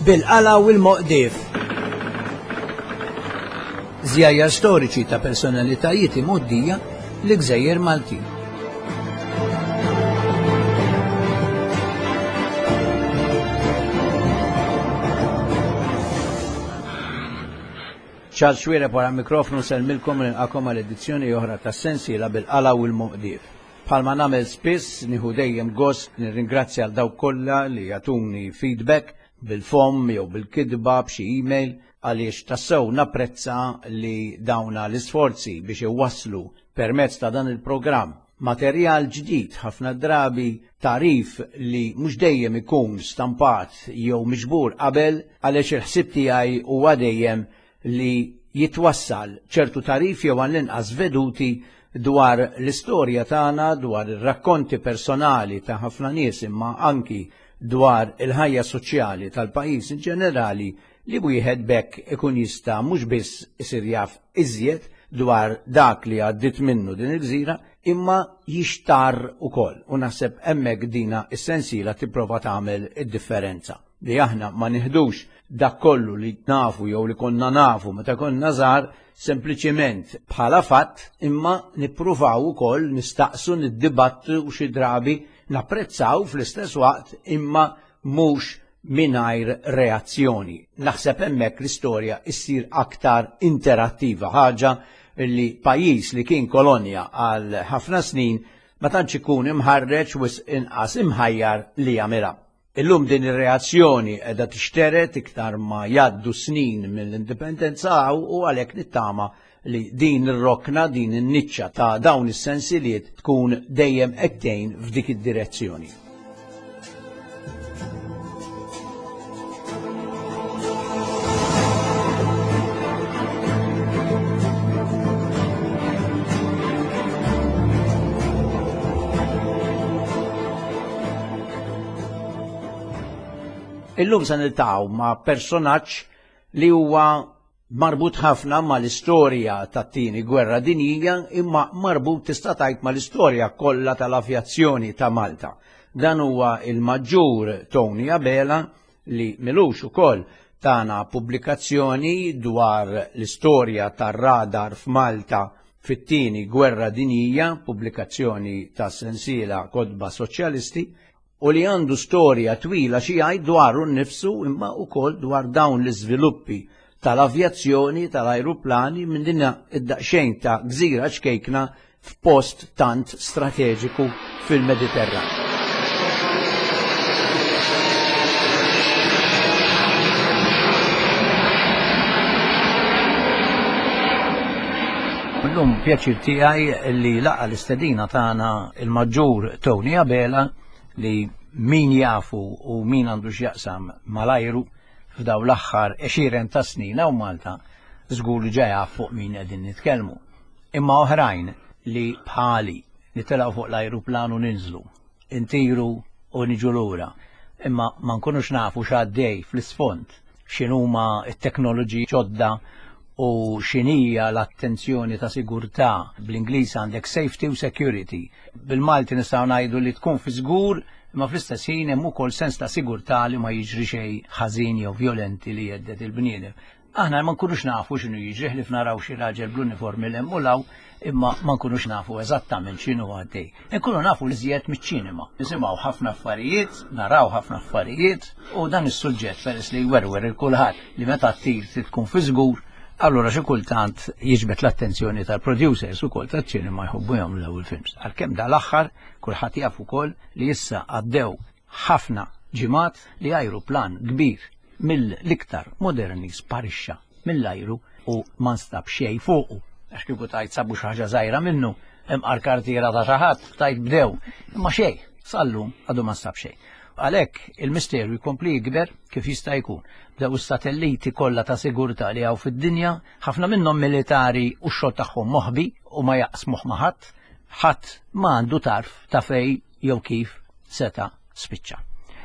Bil-qala u l-moqdif. Żjajjar storiċi ta' personalitajiet imgħoddija l-Gżejjer Maltin. Charles Xuereb wara l-mikrofnu nsellmilkom u nilqakom għal edizzjoni oħra tas-sensiela bil-qala u l-moqdif. Bħalma nagħmel spiss, nieħu dejjem gost nirringrazzja għal dawk kollha li jagħtuni feedback bil-fomm jew bil-kitba b'xi email għaliex tassew napprezza li dawna l-isforzi biex iwasslu permezz ta' dan il-programm materjal ġdid ħafna drabi tagħrif li mhux dejjem ikun stampat jew miġbur qabel għaliex il-ħsieb tiegħi huwa dejjem li jitwassal ċertu tagħrif jew għall-inqas veduti dwar l-istorja tagħna, dwar ir-rakkonti personali ta' ħafna nies imma anki dwar il-ħajja soċjali tal-pajjiż in ġenerali li wieħed b'hekk ikun jista' mhux biss isir jaf iżjed dwar dak li għaddiet minnu din il-gżira imma jixtarr ukoll u naħseb hemmhekk dina s-sensiela tipprova tagħmel id-differenza li aħna ma nieħdux dak kollu li nafu jew li konna nafu meta konna żgħar sempliċiment bħala fatt imma nippruvaw ukoll nistaqsu niddibattu u xi drabi napprezzaw fl-istess waqt imma mhux mingħajr reazzjoni. Naħseb hemmhekk l-istorja issir aktar interattiva, ħaġa li pajjiż li kien kolonja għal ħafna snin ma tantx ikun imħarreġ wisq inqas imħajjar li jagħmilha. Illum din ir-reazzjoni qiegħda tixtered iktar ma jgħaddu snin mill-indipendenza u għalhekk nittama li din ir-rokna, din in-niċċa ta' dawn is-sensiliet tkun dejjem qed tgħin f'dik id-direzzjoni. Illum se niltaqgħu ma' personaġġ li huwa marbut ħafna mal-istorja tat-tieni gwerra dinjija imma marbut tista' tgħid mal-istorja kollha tal-avjazzjoni ta' Malta. Dan huwa il-Maġġur Tony Abela li milux ukoll tana pubblikazzjoni dwar l-istorja tar-radar f'Malta fit-tieni gwerra dinjija, pubblikazzjoni ta' sensiela Kotba Soċjalisti, u li għandu storja twila xi jgħid dwaru nnifsu imma wkoll dwar dawn l-iżviluppi tal-avjazzjoni tal-ajruplani minn din id-daqsxejn ta' gżira ċkejkna f'post tant strateġiku fil-Mediterran. Illum pjaċir tiegħi li laqa l-istedina tagħna il-Maġġur Tony Abela li min jafu u min għandu x'jaqsam mal-ajru f'daw l-aħħar għexieren ta' snin hawn Malta żgur li ġa jaf fuq min qegħdin nitkellmu. Imma oħrajn li bħali nitilgħu fuq l-ajruplan u ninżlu, intiru u niġu lura, imma ma nkunux nafu x'għaddej fl-isfond, x'inhuma t-teknoloġiji ġodda u x'inhija l-attenzjoni ta' sigurtà, bl-Ingliż għandek safety u security. Bil-Malti nistgħu ngħidu li tkun fi żgur, imma fl-istess ħin hemm ukoll sens ta' sigurtà li ma jiġri xejn ħażin jew vjolenti li jhedded il-bniedem. Aħna ma nkunux nafu x'inhu jiġri ħlief naraw xi raġel bl-uniformi 'l hemm u 'l hawn, imma ma nkunux nafu eżattament x'inhu għaddej. Inkunu nafu l-iżjed miċ-ċinema. Nisimgħu ħafna affarijiet, naraw ħafna affarijiet, u dan is-suġġett peress li jwerwer il kulħadd li meta ttir trid tkun fi żgur, allura xi kultant jiġbed l-attenzjoni tal-producers ukoll taċ-ċinema jħobbu jagħmlu dawn il-films. Għalkemm dal-aħħar kulħadd jaf ukoll li issa għaddew ħafna ġimgħat li ajruplan kbir mill-iktar moderni sparixxa mill-ajru u ma nstab xejn fuqu. Għax kieku tajt sabu xi ħaġa żgħira minnu, imqar kartiera ta' xi ħadd, tajt bdew. Imma xejn, sal-lum għadu ma nstab xejn. Għalhekk il-misteru jkompli jikber kif jista' jkun. Bdew is-satelliti kollha ta' sigurtà li hawn fid-dinja, ħafna minnhom militari u x-xogħol tagħhom moħbi u ma jaqsmuh ma' ħadd, ħadd ma għandu tarf ta' fejn jew kif seta' spiċċa.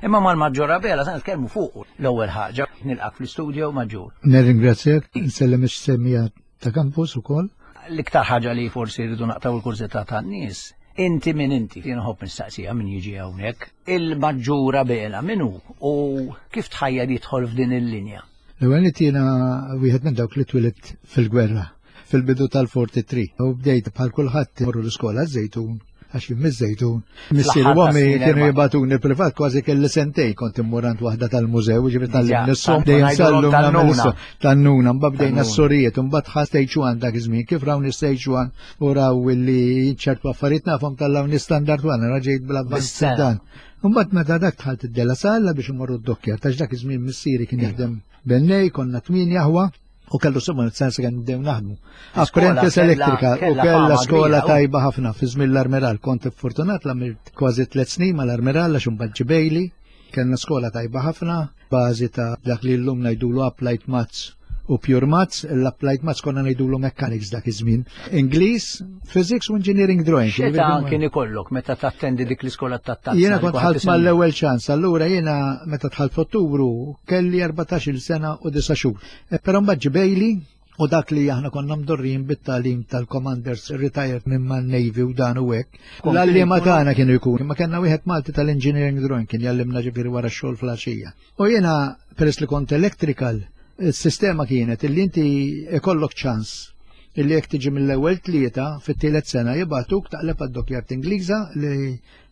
Imma mal-Maġġor Abela se nitkellmu fuq l-ewwel ħaġa. Nilqak fl-istudio Maġġur. Nirringrazzjak, nsellem ix-semmija ta' campus ukoll. L-iktar ħaġa li forsi rridu naqtaw il-kurżità tan-nies. Inti min inti, jien nħobb nistaqsija min jiġi hawnhekk, il-Maġġur Abela min hu u kif tħajjar jidħol f'din il-linja? L-ewwel nett jiena wieħed minn dawk li twilidt fil-gwerra fil-bidu tal-43 u bdejt bħal kulħadd morru l-iskola żejtun għax jien miż-Żejtun. Missier u ommi kienu jibatuni privat kważi kelli sentej kont immur għand waħda tal-mużew, ġifieri tal-lim nissom, dejjem sallum nagħmel tan-nuna, mbagħad bdejna s-sorijiet, mbagħad ħa stage one dak iż-żmien, kif rawni stage one u raw li ċertu affarijiet nafhom tal-lawni standard one, raġejt bl-avvanz dan. Mbagħad meta dak dħalt id-Della Salla biex imorru d-dokkja, tax dak iż-żmien missieri kien jaħdem bennej, konna tmien jaħwa, u kellu somma sens kemm bdew naħdmu. Apprentice electrical u kella skola tajba ħafna fi żmien l-Armiral. Kont fortunat l kważi tliet snin mal-Armiral għax imbagħad ġibejli. Kellna skola tajba ħafna, bażi ta' dak li llum ngħidulu applied maths u pure maths, l-applied maths konna ngħidulu mechanics dak iż-żmien. Ingliż, physics u engineering drawing. X'età kien ikollok meta tattendi dik l-iskola tat-tazza? Jiena kont ħalt mal-ewwel ċans, allura jiena meta dħalt f'Ottubru kelli 14-il sena u 9 xhur. E, però mbagħad ġibejli u dak li aħna konna mdorrijin bit-tagħlim tal-commanders retired minn man-Navy u dan u hekk. L-għalliema tagħna kienu jkun, imma kellna wieħed Malti tal-engineering drawing kien jallimna ġifieri wara x-xogħol fl-għaxija. U jiena peress li kont electrical, is-sistema kienet illi inti ikollok ċans illi jekk tiġi mill-ewwel tlieta fit-tielet sena jibgħatuk taqleb għad-dockyard Ingliża li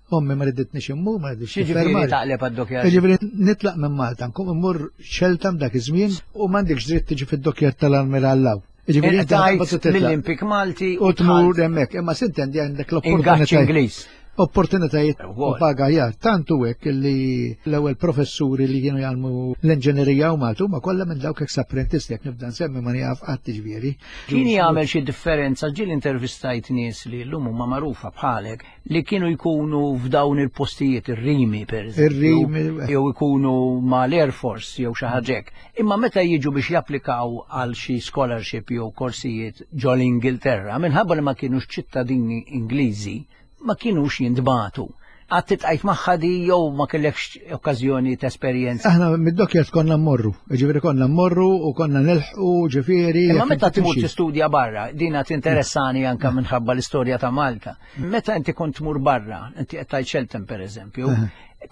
Ommi ma riditnix immur, ma riditx Ġifieri taqleb għad-dockyard. Ġifieri nitlaq minn Malta, nkun immur Cheltenham dak iż-żmien u m'għandekx dritt tiġi fid-dockyard tal-Almirall. Ġifieri inti mill-Impik Malti u tmur hemmhekk, imma sintendi għandek l-opportunità. Ingliż. Opportunitajiet u paga jar. Tantu hekk li l-ewwel professuri li kienu jgħallmu l-inġinerija u Malta huma kollha minn dawk ex apprentisti jekk nibda nsemmi ma nieqaf qatt ġifieri. Kien jagħmel xi differenza ġieli intervistajt nies li llum huma magħrufa bħalek li kienu jkunu f'dawn il-postijiet, ir-rimi per Ir-rimi. Jew ikunu mal-Air Force jew xi ħaġa hekk. Imma meta jiġu biex japplikaw għal xi scholarship jew korsijiet ġol Ingilterra, minħabba li ma kienux ċittadini Ingliżi, ma kienux jintbagħtu. Qatt iltqajt magħha di jew ma kellekx okkażjoni ta' esperjenza? Aħna mid-dockyard konna mmorru, ġifieri konna mmorru u konna nilħqu ġifieri. Imma meta tmur tistudja barra, dina tinteressani anka minħabba l-istorja ta' Malta. Meta inti kont tmur barra, inti qed tgħid Cheltenham pereżempju,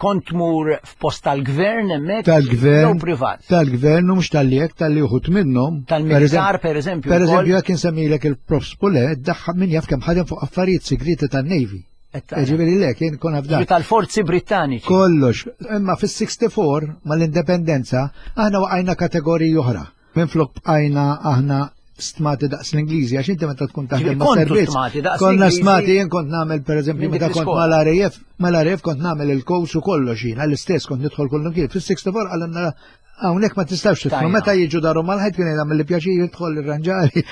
kont tmur f'post tal-gvern hemmhekk tal-gvern jew privat? Tal-gvern u mhux tal-li hekk tal-li uħud minnhom. Tal-militar pereżempju. Pereżempju jekk insemmilek il-Prof Spule, daħħa min jaf kemm ħadem fuq affarijiet segreti tan-Navy. Ġifieri le, kien kon afdat. Tal-forzi Brittaniċi. Kollox. Imma fis-64 mal-indipendenza aħna waqajna kategoriji oħra. Minflok bqajna aħna stmati daqs l-Ingliżi, għax inti meta tkun taħdem ma' servizz. Konna stmati, jien kont nagħmel pereżempju meta kont mal-RAF, mal-RAF kont nagħmel il-coach u kollox jien, għall-istess kont nidħol kollu kien. Fis-64 għalna hawnhekk ma tistax tidħol. Meta jiġu daru mal-ħajt kien jagħmel li pjaċir jidħol irranġari.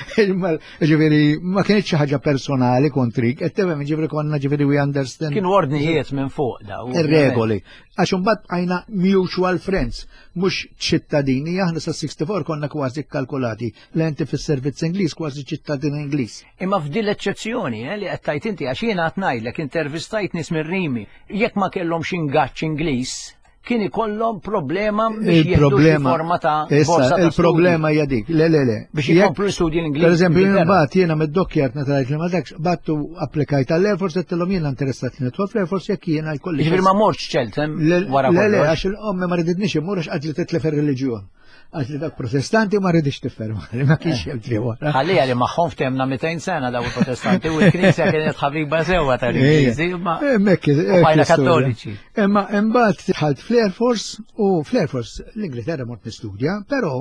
Ġifieri ma kienx xi ħaġa personali kontrik, qed tifhem ġifieri konna ġifieri we understand. Kienu ordnijiet minn fuq daw. Ir-regoli. Għax imbagħad bqajna mutual friends, mhux ċittadini, aħna sa 64 konna kważi kkalkulati li inti fis-servizz Ingliż kważi ċittadin Ingliż. Imma f'din l-eċċezzjoni eh, li qed tajt inti għax jiena qed ngħidlek intervistajt nies mir-Rimi, jekk ma kellhomx ingaġġ Ingliż, kien ikollhom problema biex jieħdu xi forma ta' Issa, il-problema hija dik. Le, le, le. Biex jkomplu studji l-Ingliż. Per eżempju, mbagħad jiena mid-dockyard meta rajt li ma dakx, battu applikajt għall-Air Force għedtilhom jiena interessat li nidħol fl-Air Force jekk jiena jkolli. Ġifieri ma mortx Cheltenham wara Le, le, għax il-ommi ma riditniex immur għax qalt li titlef ir-reliġjon. Għax li dak protestanti ma rridix tifferma, li ma kienx hemm tri wara. Ħallija li magħhom ftemna 200 sena daw il-protestanti u l-Knisja kienet ħabiba sewwa tal-Ingliżi, imma bajna kattoliċi. Imma imbagħad dħalt fl-Air Force u fl-Air Force l-Ingilterra mort nistudja, però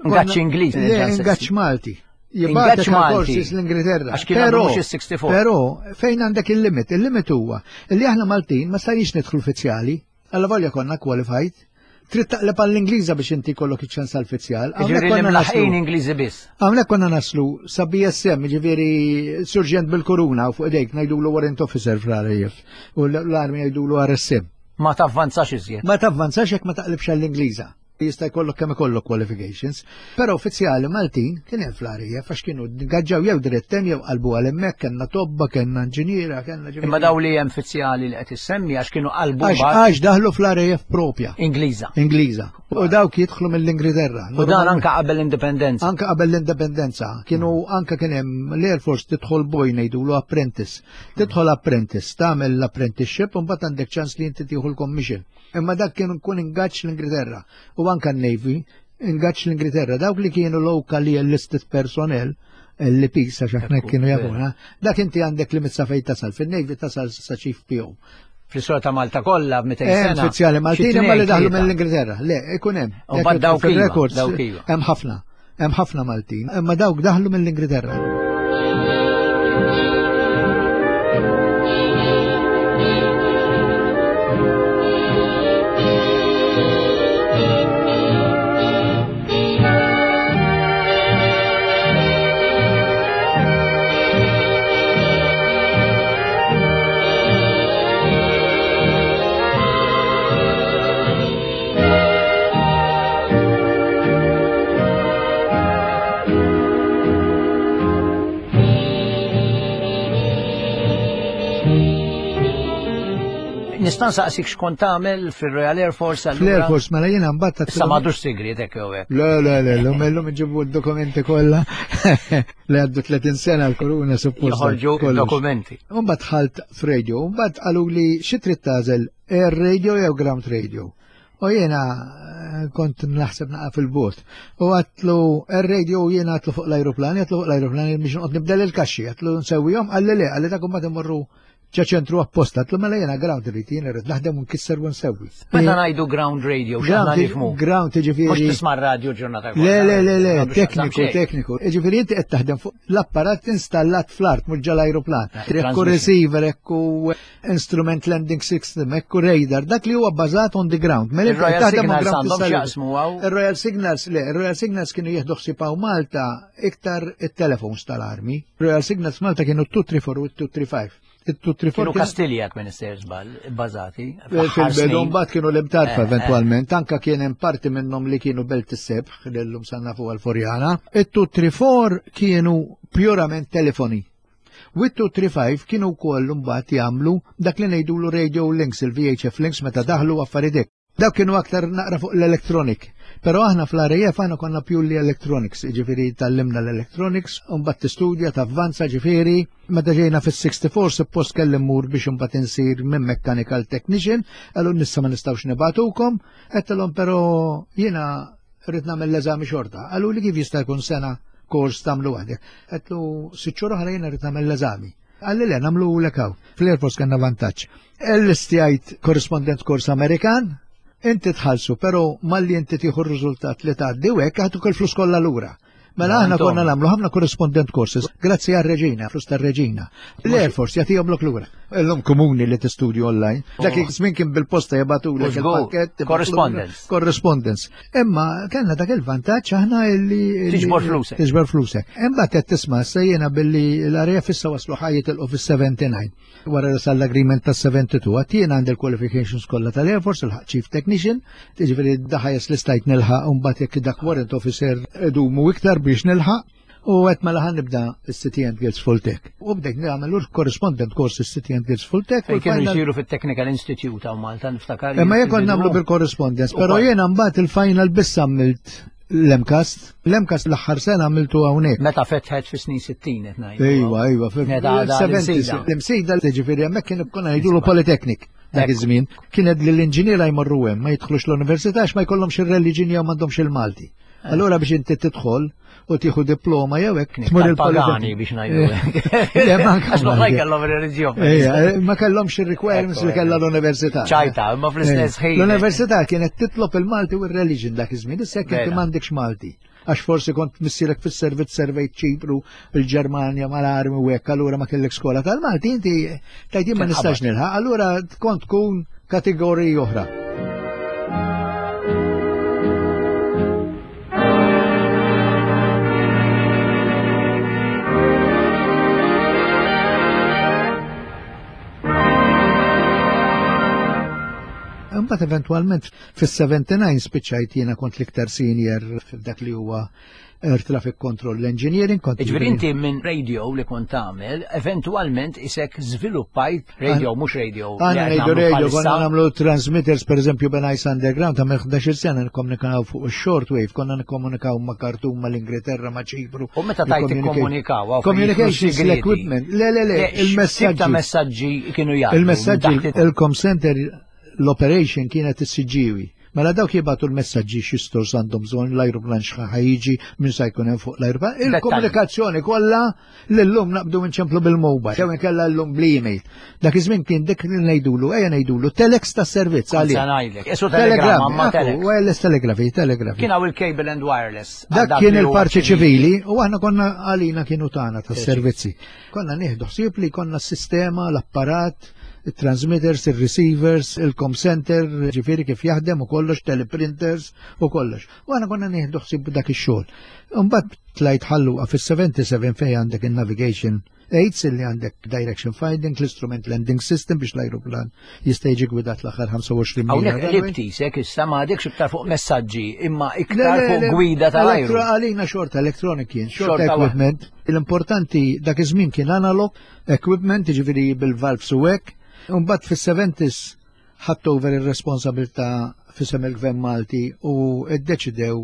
Ingaġġ Ingliż. Ingaġġ Malti. Ingaġġ Malti. l-Ingilterra. Għax kien mhux is-64. Però fejn għandek il-limit? Il-limit huwa li aħna Maltin ma stajniex nidħlu uffiċjali. Alla volja konna qualified. Trid taqleb għall-Ingliża biex inti kollok iċ-ċans għall-fizzjal. Ġifieri li mlaħqin Ingliżi biss. Hawnhekk konna naslu sa BSM, ġifieri surġent bil-kuruna u fuq idejk ngħidulu warrant officer fl-RAF u l-armi jgħidulu RSM. Ma tavvanzax iżjed. Ma tavvanzax jekk ma taqlibx għall-Ingliża. Jista' jkollok kemm ikollok qualifications. Però uffiċjali Maltin kien hemm fl-RAF għax kienu ngaġġaw jew dirett hemm jew qalbu għal hemmhekk, kellna tobba, kellna inġiniera, kellna ġifieri. Imma daw li hemm uffiċjali li qed issemmi għax kienu qalbu għax daħlu fl-RAF propja. Ingliża. Ingliża. U dawk jidħlu mill-Ingilterra. U dan anka qabel l-indipendenza. Anka qabel l-indipendenza. Kienu anka kien hemm l-Air Force tidħol boy ngħidulu apprentice. Tidħol apprentice, tagħmel l-apprenticeship u mbagħad għandek ċans li inti tieħu l-commission. Imma dak kien kun ingaġġ l-Ingilterra u anka n-Navy ingaġġ l-Ingilterra. Dawk li kienu locally enlisted personnel, LPs għax aħna kienu jafuna, dak inti għandek limit sa fejn tasal. Fin-Navy tasal sa Chief PO. Fl-istorja ta' Malta kollha 200 sena. Uffiċjali Maltin imma li daħlu mill-Ingilterra. Le, ikun hemm. U mbagħad dawk iva, dawk iva. Hemm ħafna. Hemm ħafna Maltin, imma dawk daħlu mill-Ingilterra. Nista' nsaqsik x'kont tagħmel fir-Royal Air Force allura? Fl-Air Force mela jiena mbagħad Issa m'għadux sigriet hekk jew hekk. Le, le, le, l-lum illum iġibu d-dokumenti kollha li għaddu 30 sena l-koruna suppost. Joħorġu dokumenti. U mbagħad dħalt f'radio, u mbagħad qalu li xi trid tagħżel air radio jew ground radio. U jiena kont naħseb naqa' fil-bot. U għatlu air radio jiena għatlu fuq l-ajruplan, għatlu fuq l-ajruplan biex noqgħod nibdel il-kaxxi, għatlu nsewwihom, qalli le, qalli dak mbagħad imorru ġa ċentru apposta, għatlu mela jiena ground irrid, jiena rrid naħdem u nkisser u nsewwi. Meta ngħidu ground radio, x'aħna nifhmu? Ground jiġifieri. Mhux tisma' radio ġurnata kollha. Le, le, le, le, tekniku, tekniku. Jiġifieri inti qed taħdem fuq l-apparat installat fl-art mhux ġal-ajruplan. Ekku receiver, ekku instrument landing system, ekku radar, dak li huwa bbażat on the ground. Mela inti qed taħdem on ground għandhom x'jaqsmu hawn. Ir-Royal Signals, le, ir-Royal Signals kienu jieħdu ħsieb hawn Malta iktar it-telefons tal-armi. Royal Signals Malta kienu 234 u 235. Kienu Kastilja kien issejjer żball, bbażati. Fil-bidu mbagħad kienu l-imtarfa eventwalment, anka kien hemm parti minnhom li kienu Belt is-Sebħ li llum sanna fuq għal-Furjana. It-234 kienu purament telefoni. U it-235 kienu wkoll mbagħad jagħmlu dak li ngħidulu radio links, il-VHF links meta daħlu affarijiet hekk. Dawk kienu aktar naqra fuq l-electronic. Però aħna fl-RAF aħna konna purely electronics, ġifieri tallimna l-electronics, u mbagħad tistudja, tavvanza, ġifieri, meta ġejna fis-64 suppost kelli mmur biex imbagħad insir minn mechanical technician, qalu nissa ma nistgħux nibagħtukom, għedtilhom però jiena rrid nagħmel l-eżami xorta. Qalu li kif jista' jkun sena kors tagħmlu waħdek. Għedtlu sitt xhur oħra jiena rrid nagħmel l-eżami. Qalli le, nagħmluhulek hawn. Fl-Air Force kellna vantaġġ. L-istjajt correspondent course Amerikan, inti tħallsu, però malli inti tieħu r-riżultat li tgħaddi u hekk jagħtuk il-flus kollha lura. Mela aħna konna nagħmlu ħafna correspondent courses, grazzi għar-reġina, flus tar-reġina. L-Air Force jagħtihomlok lura. Illum komuni li tistudju online. Dak iż-żmien kien bil-posta jibgħatulek il-pakkett. Correspondence. Correspondence. Imma kellna dak il-vantaġġ aħna illi tiġbor flusek. Tiġbor flusek. Imbagħad qed tisma' issa jiena billi l-RAF issa waslu ħa jitilqu fis-79. Wara li sar l-agreement tas-72 għad jiena għandi l-qualifications kollha tal-Air Force, ilħaq Chief Technician, jiġifieri daħajes li stajt nilħaq u mbagħad jekk dak warrant officer idumu iktar biex nilħaq. U għedt mela ħa nibda s-City and Guilds Full Tech. U bdejt nagħmel correspondent course s-City and Guilds Full Tech. Fejn kienu jsiru fit-Technical Institute hawn Malta niftakar. Imma jekk kont nagħmlu bil-correspondence, però jiena mbagħad il-final biss għamilt l-MCAST. L-MCAST l-aħħar sena għamiltu hawnhekk. Meta fetħet fis-snin 60 qed ngħidu. Ejwa, ejwa, l-imsida ġifieri hemmhekk kien konna ngħidulu Polytechnic dak iż-żmien. Kienet li l-inġiniera jmorru hemm ma jidħlux l-università għax ma jkollhomx ir-reliġin jew m'għandhomx il-Malti. Allura biex inti tidħol u tieħu diploma jew hekk tmur il-pagani biex ngħidu. Le, ma Għax l-oħrajn kellhom ir-reliġjon. Ma kellhomx ir-requirements li kellha l-università. Ċajta, imma fl-istess ħin. L-università kienet titlob il-Malti u r-reliġjon dak iż-żmien, issa jekk inti m'għandekx Malti. Għax forsi kont missierek fis-servizz servejt Ċipru, il-Ġermanja mal-armi u hekk, allura ma kellek skola tal-Malti, inti tgħid jien ma nistax nilħaq, allura kont tkun kategoriji oħra. Imbagħad eventwalment fis-79 spiċċajt jiena kont l-iktar senior f'dak li huwa Air Traffic Control Engineering. Kont Ġifieri inti minn radio li kont tagħmel, eventwalment isek żviluppajt radio mhux radio. Għana ngħidu radio, konna nagħmlu transmitters pereżempju Ben Ice Underground ta' 11 sena nikkomunikaw fuq shortwave, konna nikkomunikaw ma' Khartoum, ma' l-Ingilterra, ma' Ċipru. U meta tajt ikkomunikaw, Communications l-equipment, le le le, il-messaġġi. Ta' messaġġi kienu jgħaddu. Il-messaġġi, il-com center, l-operation kienet is-Siġġiewi. Mela dawk jibgħatu l-messaġġi xi stores għandhom bżonn l-ajruplan x'ħa jiġi min sa jkun hemm fuq l-ajruplan. Il-komunikazzjoni kollha li llum naqbdu nċemplu bil-mobile, jew inkella llum bl-email. Dak iż-żmien kien dik li ngħidulu, ejja ngħidulu telex tas-servizz għalih. Ngħidlek, isu telegram, ma telex. Wireless telegrafi, telegrafi. Kien hawn il-cable and wireless. Dak kien il-parti ċivili u aħna konna għalina kienu tagħna tas-servizzi. Konna nieħdu ħsieb li konna s-sistema, l-apparat, il-transmitters, il-receivers, il-com center, ġifiri kif jaħdem u kollox, teleprinters u kollox. U għana konna nieħdu ħsieb dak ix-xogħol. Imbagħad tlajt ħalluqa fis-77 fejn għandek il-navigation aids illi għandek direction finding, l-instrument landing system biex l-ajruplan jista' jiġi gwidat l-aħħar 25 mila. Hawnhekk qlibti sek issa ma għadekx iktar fuq messaġġi imma iktar fuq gwida tal-ajru. Għalina xorta electronic kien, xorta equipment. L-importanti dak iż-żmien kien analog, equipment, ġifieri bil-valves u hekk. Imbagħad fis-70s ħadt over ir-responsabilità fisem il-Gvern Malti u ddeċidew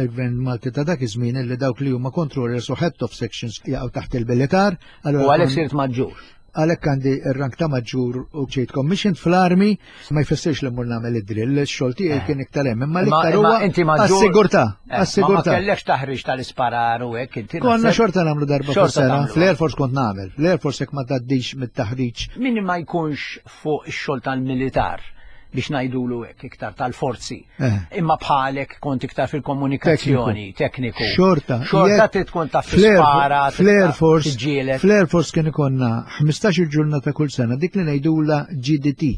il-Gvern Malti ta' dak iż-żmien li dawk li huma controllers u head of sections jaqgħu taħt il-militar. U għalhekk sirt maġġur. Għalhekk għandi r-rank ta' maġġur u ġejt commissioned fl-armi, ma jfissirx li mmur nagħmel id-drill, ix-xogħol tiegħi eh. kien iktar hemm, imma l-iktar huwa għas-sigurtà, eh, għas-sigurtà. Ma kellekx taħriġ tal-isparar u hekk inti. Konna xorta nagħmlu darba fis-sena, fl-Air Force kont nagħmel, l-Air Force jekk ma tgħaddix mit-taħriġ. Min ma jkunx fuq ix-xogħol tal-militar biex ngħidulu hekk iktar tal-forzi. Eh. Imma bħalek kont iktar fil-komunikazzjoni, tekniku. Xorta. Xorta trid tkun taf tispara. Fl-Air Force. Fl-Air Force kien ikonna 15 ġurnata kull sena dik li ngħidula GDT.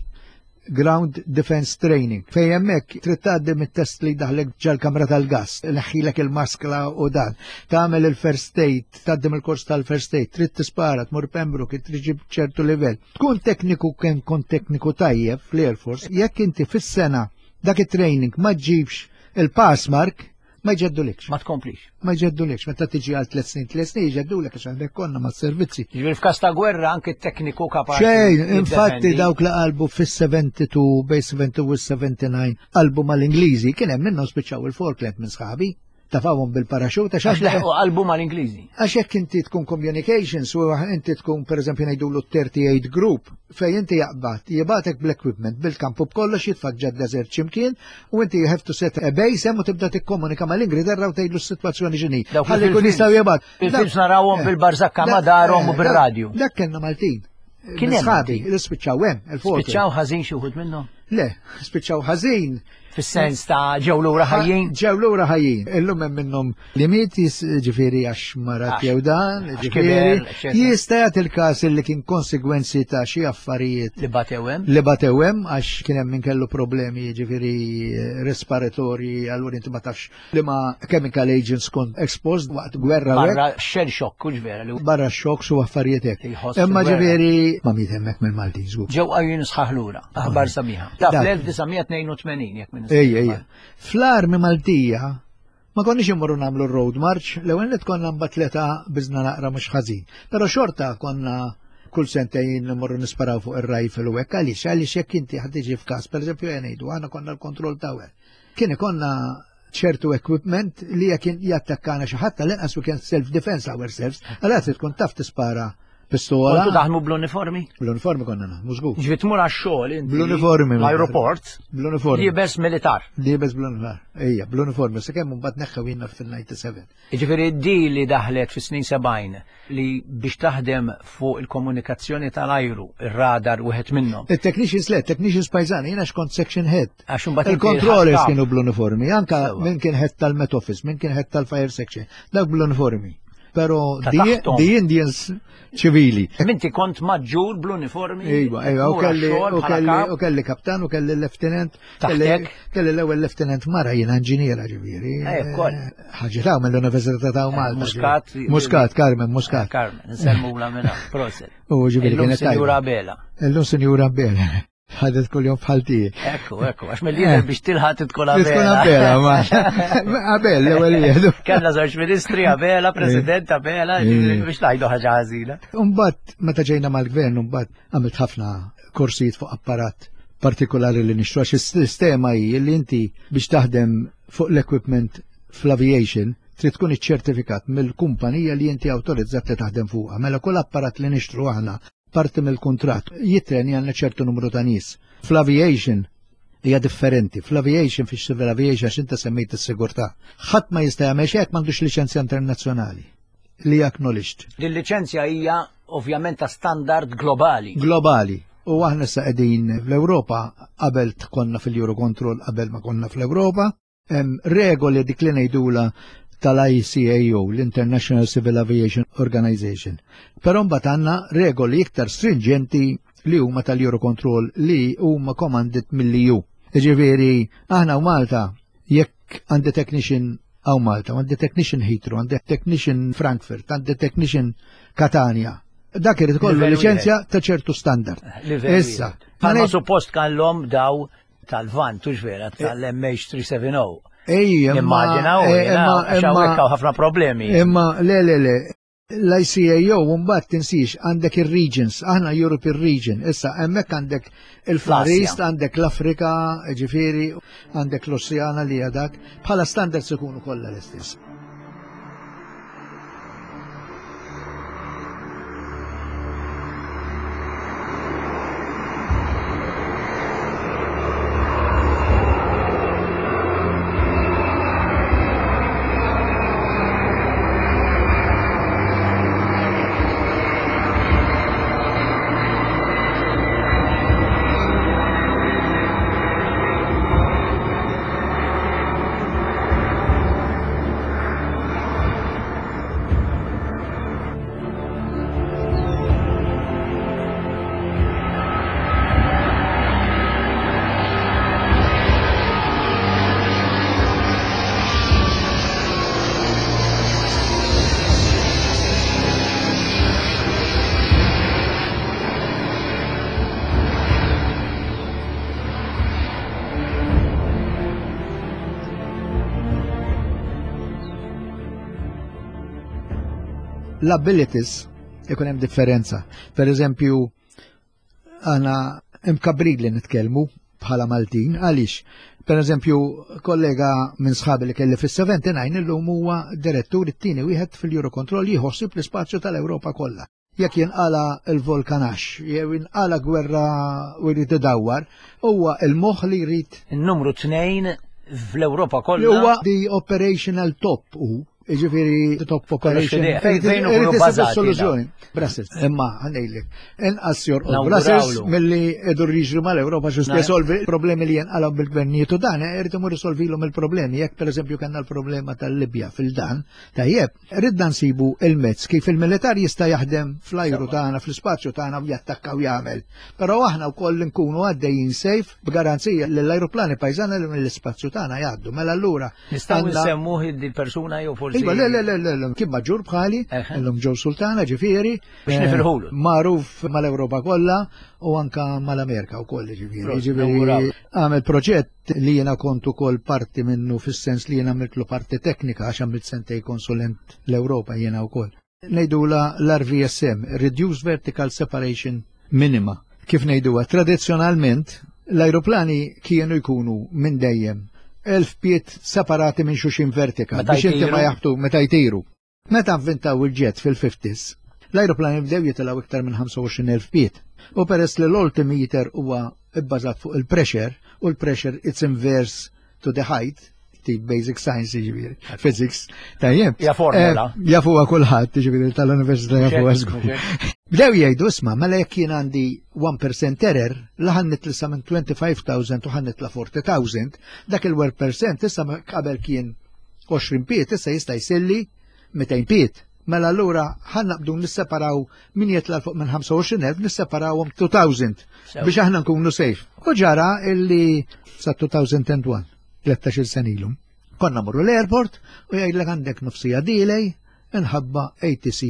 Ground Defense Training. Fej hemmhekk trid tgħaddi mit-test li daħlek ġal-kamra tal-gas, leħħilek il-maskla u dan. Tagħmel il-first aid, tgħaddi mill-kors tal-first aid, trid tispara, tmur Pembroke, trid ġib ċertu livell. Tkun tekniku kemm kont tekniku tajjeb fl-Air Force, jekk inti fis-sena dak it-training ma ġibx il-pass mark, ma jġeddulikx. Ma tkomplix. Ma jġeddulikx, meta tiġi għal tliet snin, tliet snin jġeddulek għax għandek konna ma' servizzi. Ġifieri f'każ ta' gwerra anke t-tekniku kapaċi. Xejn, infatti dawk li qalbu fis-72 bej 72 u 79 qalbu mal-Ingliżi, kien hemm minnhom spiċċaw il-Falkland minn sħabi tafawhom bil-paraxuta għax leħqu qalbu mal-Ingliżi. Għax jekk inti tkun communications u inti tkun pereżempju ngħidulu 38 group fejn inti jaqbad, jibatek bl-equipment bil-kampu b'kollox jitfak ġad desert x'imkien u inti you have to set a base hemm u tibda tikkomunika mal-Ingilterra u tgħidlu s-sitwazzjoni x'inhi. Ħalli jkun jistgħu jibgħat. Fil-films narawhom eh. bil-barżakka ma darhom u bir-radju. Dak kellna Maltin. Kien hemm sħabi li spiċċaw hemm il-fuq. Spiċċaw ħażin xi wħud minnhom? Le, spiċċaw ħażin. Fis-sens ta' ġew lura ħajjin? Ġew lura ħajjin. Illum hemm minnhom li miet ġifieri għax marat jew dan, ġifieri jista' jagħti il-każ li kien konsegwenzi ta' xi affarijiet. Li batew hemm? Li batew hemm għax kien hemm min kellu problemi ġifieri respiratorji allura inti ma tafx li ma chemical agents kont exposed waqt gwerra. Barra shell shock, kux vera li. Barra shock su affarijiet hekk. Imma ġifieri ma miet hemmhekk mill-Maltin żgur. Ġew qajjin sħaħ lura, aħbar sabiħa. Ta' fl-1982 jekk minn. Ejja, ejja. Fl-armi Maltija ma konniex immorru nagħmlu road march, l-ewwel li konna mbagħad tleta biżna naqra mhux ħażin. Però xorta konna kull sentejn immorru nisparaw fuq ir-rifle u hekk għaliex għaliex jekk inti ħad tiġi f'każ, pereżempju ngħidu aħna konna l-kontroll tower. Kien ikonna ċertu equipment li jekk jattakkana xi ħadd tal-inqas we can self defense ourselves, għalhekk trid tkun taf tispara pistola. Kontu taħdmu bl-uniformi? Bl-uniformi konna naħdmu żgur. Ġifi tmur għax-xogħol inti. Bl-uniformi. L-aeroport. Bl-uniformi. Libes militar. Libes bl-uniformi. Ejja, bl-uniformi. Sakemm mbagħad neħħew jiena fil-97. Jiġifieri di li daħlet fis-snin 70 li biex taħdem fuq il-komunikazzjoni tal-ajru, ir-radar wieħed minnhom. Il-technicians le, technicians pajzani, jiena xkont section head. Għax imbagħad il-controllers kienu bl-uniformi, anka minn kien head tal-Met Office, minn kien head tal-Fire Section, dak bl-uniformi. Pero the Indians ċivili. Minti kont maġġur bl-uniformi? Iva, iva, u kelli, u kelli, u kelli kaptan, u kelli lieutenant. Taħtek? Kelli l-ewwel lieutenant mara jiena inġiniera ġifieri. Eh, koll. Ħaġa ta' mill-Università ta' eh, Malta. Muscat. Muscat, Carmen, Muscat. Eh, Carmen, nsemmu la minna, proset. U ġifieri kienet. Sinjura Bela. Illum Sinjura Bela. Ħadet kull jom bħal tiegħi. Ekku, ekku, għax mill-lider eh. biex tilħaq tkun Abela. Tkun Abela, ma. Abel, l-ewwel jieħdu. Kellna żewġ ministri Abela, President Abela, eh. biex ngħidu ħaġa ħażina. Imbagħad meta ġejna mal-gvern, imbagħad għamilt ħafna korsijiet fuq apparat partikolari li nixtru għax is-sistema hi li inti biex taħdem fuq l-equipment fl-aviation trid tkun iċċertifikat mill-kumpanija li inti awtorizzat li taħdem fuqha. Mela kull apparat li nixtru aħna parti mill-kuntratt jitrenja għandna ċertu numru ta' nies. Fl-aviation hija differenti. Fl-aviation, fix-civil aviation, għax inta semmejt is-sigurtà. Ħadd ma jista' jagħmel xejn m'għandux liċenzja internazzjonali li acknowledged. Din liċenzja hija ovvjament ta' standard globali. Globali. U aħna sa qegħdin fl-Ewropa qabel konna fil-Eurocontrol qabel ma konna fl-Ewropa. Hemm regoli dik li ngħidula tal-ICAO, l-International Civil Aviation Organization. Però mbagħad għandna regoli iktar stringenti li huma tal-Eurocontrol li huma commanded mill-EU. Ġifieri, aħna u Malta, jekk għandi technician hawn Malta, għandi technician Heathrow, għandi technician Frankfurt, għandi technician Catania. Dak irid kollu liċenzja ta' ċertu standard. Issa. Ma suppost kellhom daw tal-Vant, tux vera, tal-MH370. Ej, immaġina, eh, imma imma ħafna problemi. Imma le le le, l-ICAO mbagħad tinsix għandek ir-regions, aħna European region, issa hemmhekk għandek il-Far East, għandek l-Afrika, ġifieri, għandek l-Oceana li dak, bħala standards ikunu kollha l-istess. L-abilities ikun hemm differenza. Per eżempju, għana imkabrid li nitkellmu bħala Maltin, għaliex, per eżempju, kollega minn sħabi li kelli fis-79 illum huwa direttur it-tieni wieħed fil-Eurocontrol jieħossib l-ispazju tal-Ewropa kollha. Jekk jinqala l-volkanax, jew jinqala gwerra u jrid idawwar, huwa il-moħħ li jrid. In-numru 2 fl-Ewropa kollha. Huwa the operational top u Iġifiri, top operation. Fejn ikunu bażati. Soluzzjoni. Brussels. Imma, ħanejlek, inqas jorqod Brussels milli idur jiġru mal-Ewropa xi risolvi problemi li jenqalgħu bil-gvernijiet u dan, irid imur risolvilhom il-problemi. Jekk pereżempju kellna l-problema tal-Libja fil-dan, tajjeb, ridna nsibu il-mezz kif il-militar jista' jaħdem fl-ajru tagħna, fl-ispazju tagħna u jattakka u jagħmel. Però aħna wkoll nkunu għaddejjin sejf b'garanzija li l-ajruplani pajżana li mill-ispazju tagħna jgħaddu. Mela allura Nistgħu nsemmuh di persuna jew forsi. Iva, le, le, le, le, le, kien maġġur bħali, illum ġew sultana ġifieri. Biex eh, nifirħulu. Magħruf mal-Ewropa kollha u anka mal-Amerika wkoll ġifieri. Ġifieri għamel proġett li jiena kont ukoll parti minnu fis-sens li jiena għamiltlu parti teknika għax għamilt sentej konsulent l-Ewropa jiena wkoll. Ngħidula l-RVSM, Reduced Vertical Separation Minima. Kif ngħiduha, tradizzjonalment l-ajruplani kienu jkunu minn dejjem 1000 pied separati minn xuxin vertikal biex inti ma jaħbtu meta jtiru. Meta avvintaw il-jet fil-50s, l-ajruplani bdew jitilgħu iktar minn 25,000 pied. U peress li l-altimeter huwa bbażat fuq il-pressure, u l-pressure it's inverse to the height, tip basic science jiġifieri, physics, tajjeb. Ja formula. Eh, jafuha kulħadd, jiġifieri tal-università jafuha żgur. Bdew jgħidu isma' mela jekk jien għandi 1% error, la ħan nitlisa minn 25,000 u ħan nitla 40,000, dak il-1% issa qabel kien 20 piet issa jista' jsilli 200 piet. Mela allura ħan naqbdu nisseparaw min jitla' fuq minn 25,000 nisseparawhom 2000 biex aħna nkunu safe. U ġara illi sa 2001, 13 sen ilu. Konna morru l-airport u jgħidlek għandek nofsija delay inħabba ATC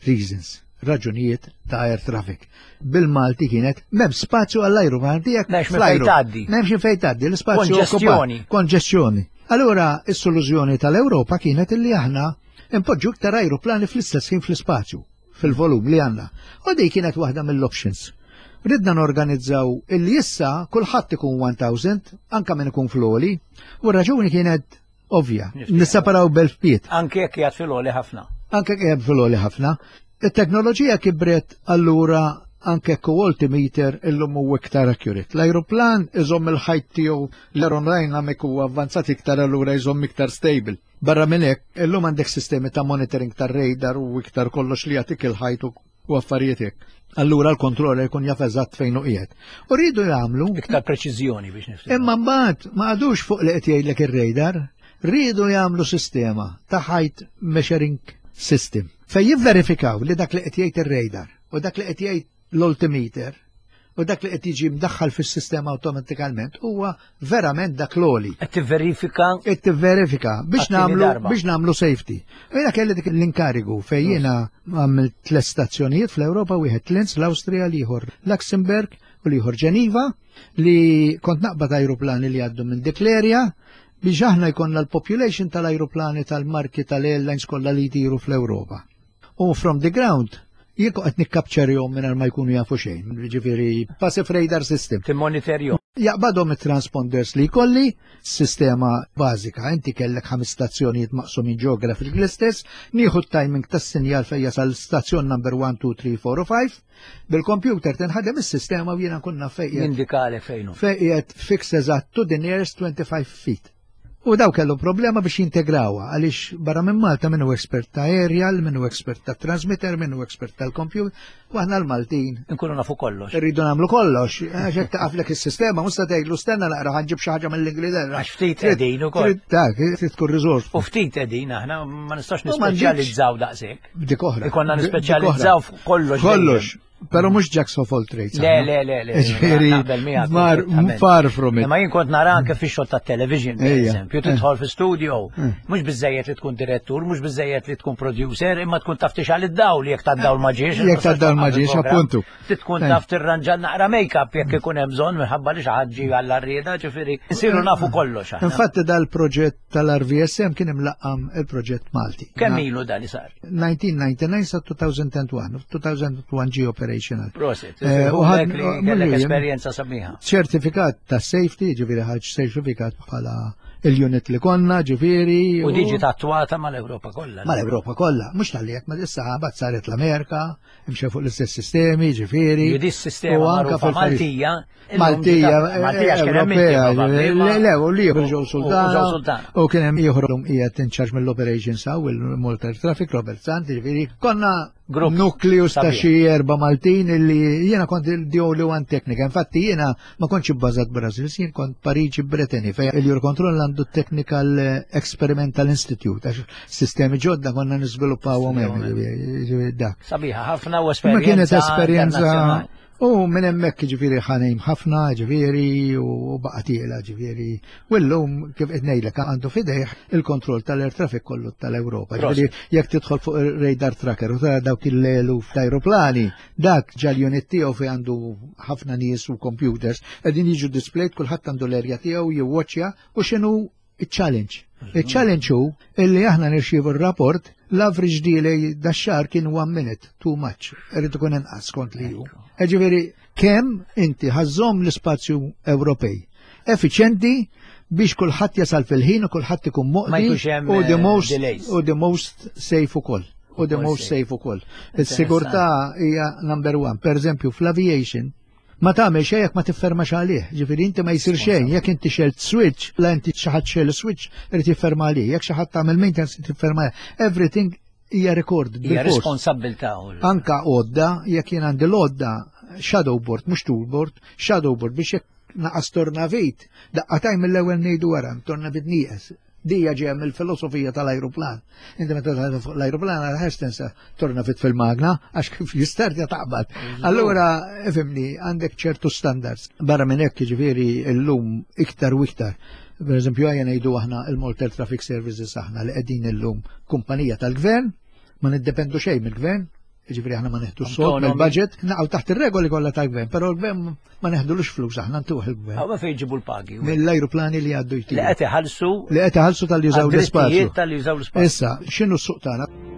reasons. raġunijiet ta' air traffic. Bil-Malti kienet m'hemm spazju għall-ajruplan tiegħek. M'hemmx fejn tgħaddi. M'hemmx fejn tgħaddi, l-ispazju Konġestjoni. Konġestjoni. Allura is-soluzzjoni tal-Ewropa kienet illi aħna impoġġu iktar ajruplani fl-istess ħin fl-ispazju, fil-volum li għandna. U dik kienet waħda mill-options. Ridna norganizzaw illi issa kulħadd ikun 1000, anka min ikun fl-għoli, u r-raġuni kienet ovvja. Nisseparaw b'elf pied. Anke jekk qiegħed fil-għoli ħafna. Anke jekk fil-għoli ħafna. It-teknoloġija kibret allura anke altimeter illum hu iktar accurate. L-ajruplan iżomm il-height tiegħu, l-aerodynamic huwa avvanzat iktar, allura iżomm iktar stable. Barra minn hekk, illum għandek sistemi ta' monitoring tar-radar u iktar kollox li jagħtik il-height u affarijiet hekk. Allura l-kontroller jkun jaf eżatt fejn hu qiegħed. U rridu jagħmlu iktar preċiżjoni biex nifhem. Imma mbagħad ma għadux fuq li qed jgħidlek ir-radar, rridu jagħmlu sistema ta' height measuring system. Fejn jivverifikaw li dak li qed jgħid ir-radar u dak li qed jgħid l-altimeter u dak li qed jiġi mdaħħal fis-sistema awtomatikament huwa verament dak l-għoli. Qed tivverifika. Qed tivverifika biex nagħmlu biex nagħmlu safety. U jiena kelli dik l-inkarigu fejn jiena għamilt tliet stazzjonijiet fl-Ewropa, wieħed Linz, l-Awstrija, l-ieħor Luxemburg u l-ieħor Ġeniva, li kont naqbad ajruplani li għaddu minn dik l-area biex aħna jkollna l-population tal-ajruplani tal-marki tal-airlines kollha li jtiru fl-Ewropa. U from the ground, jien qed nikkapċerjhom mingħajr ma jkunu jafu xejn, ġifieri passive radar system. Timmonitorjhom. Jaqbadhom it-transponders li jkolli, sistema bażika, inti kellek ħames stazzjonijiet maqsumin geographic l-istess, nieħu t-timing tas-sinjal fejn jasal stazzjon number 1, 2, 3, 4 u 5, bil-computer tinħadem is-sistema u jiena nkun naf fejn. Jindikali fejn hu. Fejn qiegħed fix eżatt to the nearest 25 feet. U daw kellu problema biex jintegrawha għaliex barra minn Malta minnu expert ta' aerial, minnu expert ta' transmitter, minnu expert tal-computer, u aħna l-Maltin. Nkunu nafu kollox. Irridu nagħmlu kollox, għax hekk taqaflek is-sistema, mhux se tgħidlu stenna naqra ħa nġib xi ħaġa mill-Ingilterra. Għax ftit qegħdin ukoll. Dak, trid tkun resource. U ftit qegħdin aħna ma nistax nispeċjalizzaw daqshekk. Dik oħra. Ikonna nispeċjalizzaw kollox. Kollox. Pero mhux jacks of all trades. Le, le, le, le. Ġifieri, far from it. Ma jien kont nara anke fix-xogħol tat-television, per eżempju, tidħol fi studio, mhux biżejjed li tkun direttur, mhux biżejjed li tkun producer, imma tkun taf tixgħal id-dawl jekk tad-dawl ma ġiex. Jekk tad-dawl ma ġiex, appuntu. Tkun taf tirranġa naqra make-up jekk ikun hemm bżonn minħabba li xi ħadd ġie għall-arrieda, ġifieri nsiru nafu kollox. Infatti dal-proġett tal-RVSM kien imlaqqam il-proġett Malti. Kemm ilu dan li sar? 1999 sa 2001, 2001 ġie operational. Prosit, u kellek esperjenza sabiħa. Ċertifikat ta' safety, ġifieri ħaġ ċertifikat bħala il-unit li konna, ġifieri. U diġi tatwata mal-Ewropa kollha. Mal-Ewropa kollha, mhux tal-li jekk ma issa ħabat saret l-Amerika, imxew fuq l-istess sistemi, ġifieri. Di sistema anka fil-Maltija. Maltija, Maltija Ewropea, le, u li ġew Sultan. U kien hemm ieħor qiegħed in charge mill-operations hawn il-Malta Traffic Robert Sant, ġifieri konna nukleus ta' xi erba' Maltin illi jiena kont the only one technical. Infatti jiena ma kontx ibbażat Brasil, jien kont Pariġi Brittany fejn il-Eurocontrol għandu Technical Experimental Institute, għax sistemi ġodda konna niżviluppawhom hemm dak. Sabiħa ħafna u esperjenza. Ma kienet esperjenza. U minn hemmhekk ġifieri ħanejm ħafna, ġifieri u baqa' tiela ġifieri. U llum kif qed ngħidlek għandu fidejh il-kontroll tal-air traffic kollu tal-Ewropa. Ġifieri jekk tidħol fuq ir-radar tracker u tara dawk il-eluf ta' aeroplani, dak ġal unit tiegħu fejn għandu ħafna nies u computers qegħdin jiġu displayed, kulħadd għandu l-erja tiegħu jiwwaċċja u x'inhu il-challenge. Il-challenge hu illi aħna nirċievu r-rapport, l-average delay dax-xahar kien 1 minute, too much, irid ikun inqas kont li hu. Ġifieri kemm inti ħażżomm l-ispazju Ewropej effiċjenti biex kulħadd jasal fil-ħin u kulħadd ikun moqdi u the most u the most safe ukoll. U the most safe ukoll. Is-sigurtà hija number one. Per eżempju, fl-aviation, ma tagħmel xejn jekk ma tiffermax għalih. Ġifieri inti ma jsir xejn jekk inti xelt switch, la inti xi ħadd xel switch irid jifferma għalih, jekk xi ħadd tagħmel maintenance irid jifferma. Everything hija record. Hija responsabilità. Anka għodda, jekk jien għandi l-għodda shadow board, mhux toolboard, shadow board biex jekk naqas tornavit, daqqataj mill-ewwel ngħidu wara, tornavit nieqes. Dija ġeja mill-filosofija tal-ajruplan. Inti meta tagħmel fuq l-ajruplan għal ħax tinsa tornavit fil-magna għax kif jistartja taqbad. Allura ifhimni, għandek ċertu standards. Barra minn hekk jiġifieri llum iktar u iktar. Per eżempju, għajja ngħidu aħna il-Malta Traffic Services aħna li qegħdin illum kumpanija tal-gvern, ma niddependu xejn mill-gvern. Ġifieri aħna ma neħdu sold mill-budget, naqgħu taħt ir-regoli kollha tal-gvern, però l-gvern ma neħdulux flus aħna ntuħ il-gvern. Għaw fejn ġibu l-pagi? Mill-ajruplani li għaddu jtiru. Li qed iħallsu. Li qed iħallsu tal jużaw l-ispazju. Tal jużaw l-ispazju. Issa, x'inhu s-suq tagħna?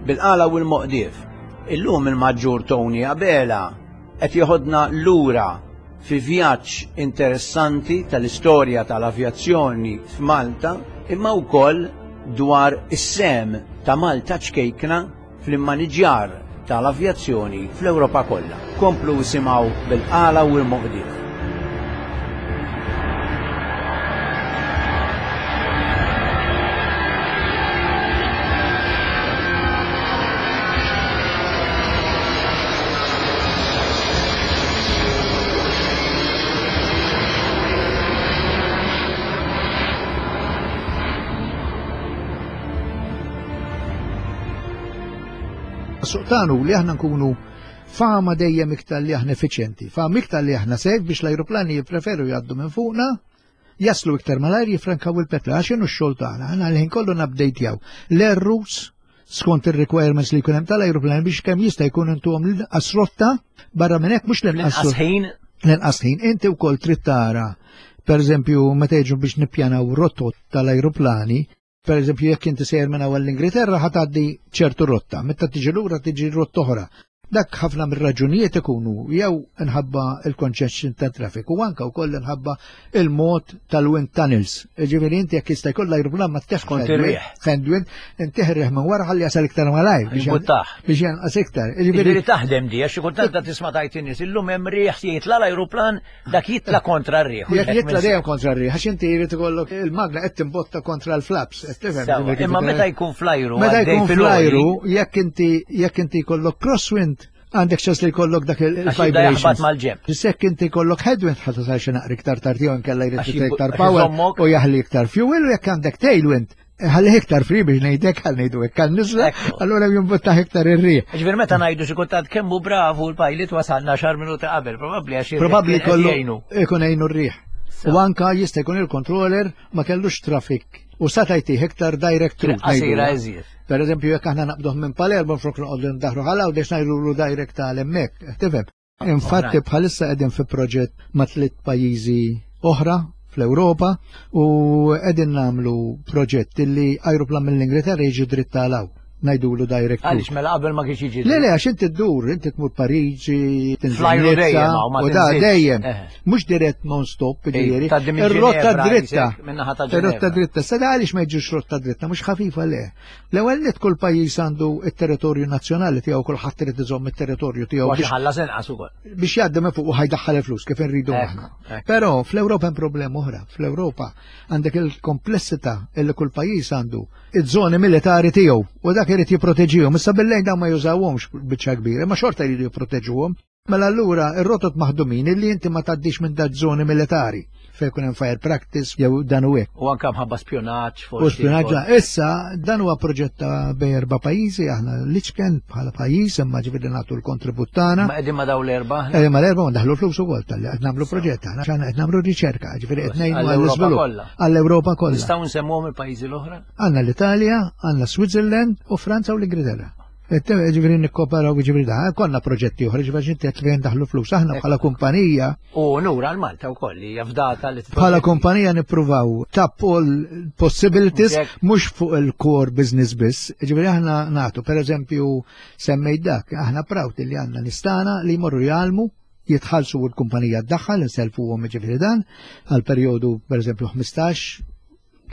Bil-qala u l-moqdief. Illum il-Maġġur Tony Abela qed jeħodna lura fi vjaġġ interessanti tal-istorja tal-avjazzjoni f'Malta imma wkoll dwar is-sehem ta' Malta ċkejkna fl-immaniġjar tal-avjazzjoni fl-Ewropa kollha. Komplu isimgħu bil-qala u l-moqdief. Suq tagħna li aħna nkunu fama dejjem iktar li aħna effiċjenti, fama iktar li aħna safe biex l-ajruplani jippreferu jgħaddu minn fuqna, jaslu iktar malajr jifrankaw il-petrol, għax inhu x-xogħol tagħna, aħna l-ħin kollu nabdejtjaw l-errus skont ir-requirements li jkun hemm tal-ajruplan biex kemm jista' jkun intuhom l-inqas rotta barra minn hekk mhux l-inqas ħin. L-inqas ħin. Inti wkoll trid tara, pereżempju, meta jiġu biex nippjanaw rotot tal-ajruplani, Per eżempju, jekk inti sejjer minn hawn l-Ingilterra ħa tgħaddi ċertu rotta, meta tiġi lura tiġi rotta oħra. Dak ħafna mir-raġunijiet ikunu jew inħabba il-congestion ta' traffic u anka wkoll inħabba il-mod tal-wind tunnels. Ġifieri inti jekk jista' jkollha ajruplan ma teħx kont ir-riħ. Headwind, inti riħ minn wara ħalli jasal iktar malajr biex janqas iktar. Ġifieri taħdem di għax xi kultant tisma' tajt in-nies illum hemm riħ jitla' l-ajruplan Dak jitla kontra r-riħ. Jekk jitla dejjem kontra r-riħ, għax inti jrid ikollok il-magna qed timbotta kontra l-flaps, qed tifhem. Imma meta jkun flajru, meta jkun flajru, jekk inti jekk inti jkollok crosswind, għandek ċans li jkollok dak il-vibration. mal-ġemp. Jekk inti jkollok headwind ħadd tasal xi naqra iktar tard jew inkella jrid iktar power u jaħli iktar fuel u jekk għandek tailwind ħalli iktar free biex ngħidek għal ngħidu hekk għal niżla, allura jimbuttaħ iktar ir-riħ. Ġifier meta ngħidu xi kultant kemm hu bravu l-pilot wasalna xar minuti qabel, probabbli għax Probabbli kollu ikun għejnu r-riħ. U anka jista' jkun il-controller ma kellux traffic u sata jtih iktar direct route. Qasira iżjed. Per eżempju, jekk aħna naqbduh minn Palermo flok noqogħdu ndaħru ħala u dex ngħidulu direct tal hemmhekk, tifhem. Infatti bħalissa qegħdin fi proġett ma' tliet pajjiżi oħra fl-Ewropa u qegħdin nagħmlu proġett li ajruplan mill-Ingilterra jiġi dritt għal ngħidulu direct. Għaliex mela qabel ma kienx jiġi. Le le għax inti ddur, inti tmur Pariġi, tinżel dejjem u da dejjem. Eh. Mhux dirett non stop, ġifieri. Ir-rotta dritta. Ir-rotta dritta. Sa għaliex ma jiġux rotta dritta, mhux ħafifa le. L-ewwel nett kull pajjiż għandu t-territorju nazzjonali tiegħu kulħadd irid iżomm it-territorju tiegħu. Biex ħallas inqas ukoll. Biex jgħaddi minn fuq u ħajdaħħal il-flus kif inridu aħna. Però fl-Ewropa hemm problema oħra. Fl-Ewropa għandek il-komplessità illi kull pajjiż għandu iż-żoni militari tiegħu u dak irid jipproteġihom. Issa billejn dawn ma jużawhomx biċċa kbira, ma xorta jridu jipproteġuhom. Mela allura ir-rotot maħdumin illi inti ma tgħaddix minn dak żoni militari fejn ikun hemm fire practice jew dan u hekk. U anke mħabba spjunaġġ forsi. U spjunaġġ issa dan huwa proġett ta' bejn erba' pajjiżi aħna l-iċken bħala pajjiż imma ġifieri nagħtu l-kontribut tagħna. Ma qegħdin ma' dawn l-erba' Qegħdin ma' l-erba' u ndaħlu flus ukoll tal-li qed nagħmlu proġett aħna x'aħna qed nagħmlu riċerka, ġifieri qed ngħinu għall-iżvilupp. Għall-Ewropa kollha. Nistgħu nsemmuhom il-pajjiżi l-oħra? Għandna l-Italja, għandna Switzerland u Franza u l-Ingilterra. Ġifiri nikkoperaw ġifiri da, konna proġetti oħra, ġifiri ġinti għet fejn daħlu flus, aħna bħala kumpanija. U nura għal-Malta u koll, jafdata li Bħala kumpanija nippruvaw tap all possibilities, mux fuq il-core business biss, ġifiri aħna natu, per eżempju, semmejt dak, aħna proud li għanna nistana li jmorru jgħalmu, jitħallsu u l-kumpanija d-daħħal, nselfu għom ġifiri dan, għal periodu per eżempju 15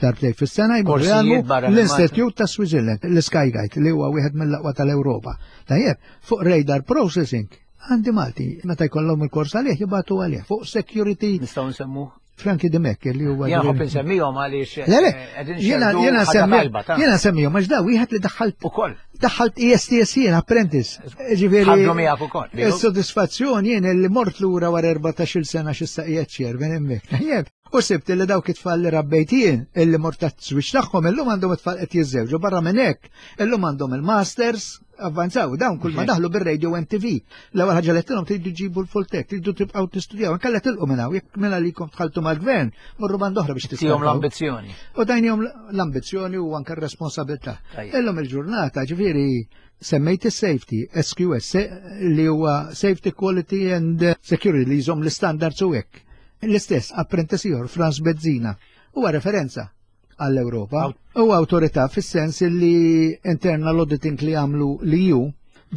darbtejn fis-sena jmorru jgħallmu l-Institute ta' Switzerland, l-Sky Guide, li huwa wieħed mill-aqwa tal-Ewropa. Tajjeb, fuq radar processing, għandi Malti, meta jkollhom il-kors għalih jibgħatu għalih fuq security. Nistgħu nsemmu? Franki Dimek li huwa. Jien ħobb insemmihom għaliex. Le le, eh, jiena jiena semmihom, jiena semmihom għax da wieħed li daħħalt ukoll. Daħħalt ESTS jien apprentice. Ġifieri. Ħaddu miegħek ukoll. Is-sodisfazzjon jien li mort lura wara 14-il sena x'issa qiegħed chairman hemmhekk. Tajjeb. U sibt li dawk it-tfal li rabbejt jien, illi mort tat-żwieġ tagħhom illum għandhom it-tfal qed jiżżewġu barra minn hekk, illum għandhom il-masters, avvanzaw, dawn kull ma daħlu bir-radio MTV. L-ewwel ħaġa li tilhom tridu ġibu l-full tech, tridu tibqgħu tistudjaw, inkella tilqu minn hawn, jekk minn għalikom tħaltu mal-gvern, morru band oħra biex tistudjaw. l-ambizzjoni. U dajnihom l-ambizzjoni u anke r-responsabilità. Illum il-ġurnata, ġifieri, semmejt is-safety, SQS, li huwa Safety Quality and Security li jżomm l-istandards u hekk. L-istess apprentice ieħor Franz Bezzina huwa referenza għall-Ewropa. Huwa awtorità fis-sens li internal auditing li għamlu li ju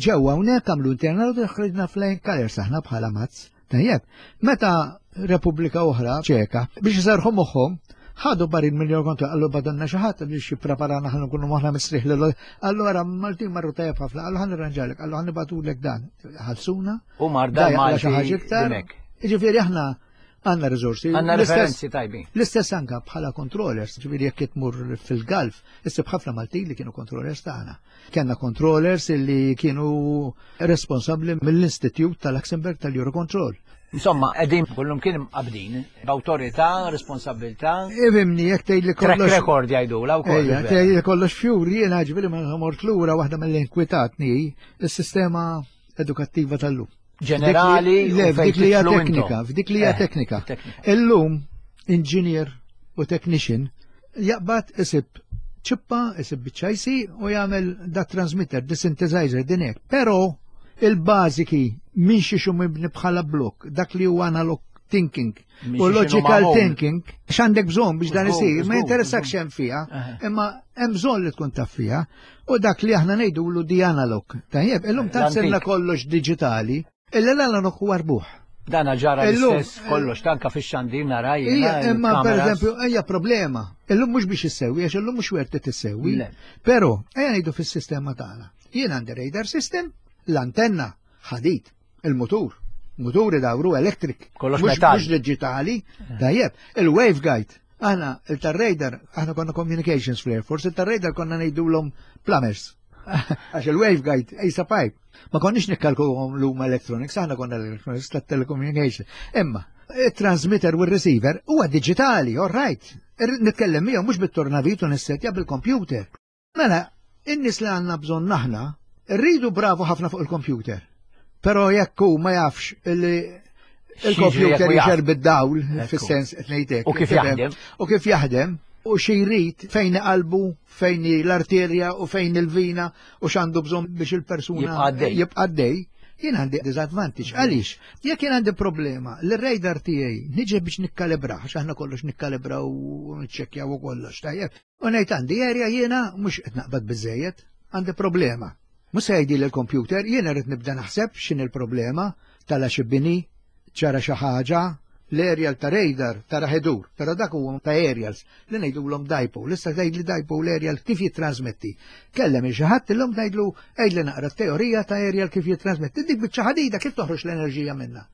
ġewwa hawnhekk għamlu internal auditing ħriġna flying colors aħna bħala mazz. Tajjeb, meta Repubblika oħra ċeka biex iserħu moħħhom ħadu barin miljon kontu għallu badonna xi ħadd biex jippreparana ħan nkunu moħħna mistrieħ lil għallu ara Maltin marru tajjeb ħafna għallu ħan irranġalek għallu ħan nibatulek dan ħalsuna U marda xi ħaġa iktar. Jiġifieri aħna għandna riżorsi. Għandna referenzi tajbin. L-istess anka bħala controllers, ġifieri jekk tmur fil-Galf, issib ħafna Maltin li kienu controllers tagħna. Kenna controllers li kienu responsabbli mill-Istitut tal-Luxembourg tal-Eurocontrol. Insomma, qegħdin kullum kien imqabdin b'awtorità, responsabilità. Ifimni, jekk tgħid li kollox. Track record jgħidula wkoll. Tgħid li kollox fjuri, jiena ġifieri ma mort lura waħda mill-inkwitatni is-sistema edukattiva tal-lum. Ġenerali, le, f'dik li hija teknika, f'dik li hija eh, teknika. Illum engineer u technician jaqbad isib ċippa, isib biċċajsi u jagħmel da transmitter, di synthesizer, din hekk. Però il-bażiki minn xi mibni bħala blok, dak li huwa analog thinking u logical thinking, x'għandek bżonn biex dan isir, ma jinteressak xem fiha, imma hemm bżonn li tkun taf fiha. U dak li aħna ngħidulu di analog. Tajjeb, illum tant sirna kollox diġitali, illa l-analog huwa rbuħ. Dana ġara l-istess kollox, tanka fix-xandir nara jiena. Imma pereżempju hija problema. Illum mhux biex issewwi, għax illum mhux werti tissewwi. Però ejja ngħidu fis-sistema tagħna. Jien għandi radar system, l-antenna, ħadid, il-mutur, muturi dawru electric. Kollox metal. Mhux diġitali, tajjeb, il-waveguide. Aħna il-tar-radar, aħna konna communications fl-Air Force, il-tar-radar konna ngħidulhom plumbers. Għax il-waveguide ejsa pipe. Ma konniex nikkalkulhom l-huma electronics, aħna konna electronics tat-telecommunication. Imma, il-transmitter u r-receiver huwa digitali, all right. Nitkellem miegħu mhux bit-tornavit u nissetja bil-computer. Mela, in-nies li għandna bżonn aħna, rridu bravu ħafna fuq il-computer. Però jekk hu ma jafx li il-computer jixer bid-dawl, fis-sens qed ngħidlek. U kif jaħdem. U kif jaħdem, u xi jrid fejn qalbu, fejn l-arterja u fejn il-vina u x'għandu bżonn biex il-persuna jibqa' dej. Jien għandi disadvantage. Għaliex? Jekk jien għandi problema, l-radar tiegħi niġi biex nikkalibraħ, għax aħna kollox nikkalibraw u niċċekkjaw u kollox, tajjeb. U ngħid għandi erja jiena mhux qed naqbad biżejjed, għandi problema. Mhux se jgħidli l-computer, jiena rrid nibda naħseb x'inhi l-problema, tala xi bini, ġara xi ħaġa, l-aerial ta' radar tara ħedur, però dak huwa ta' aerials li ngħidulhom dipole. Issa tgħidli dipole aerial kif jittransmetti. Kellem il xi ħadd illum tgħidlu għidli naqra t-teorija ta' aerial kif jittransmetti. Dik biċċa ħadida kif toħroġ l-enerġija minnha?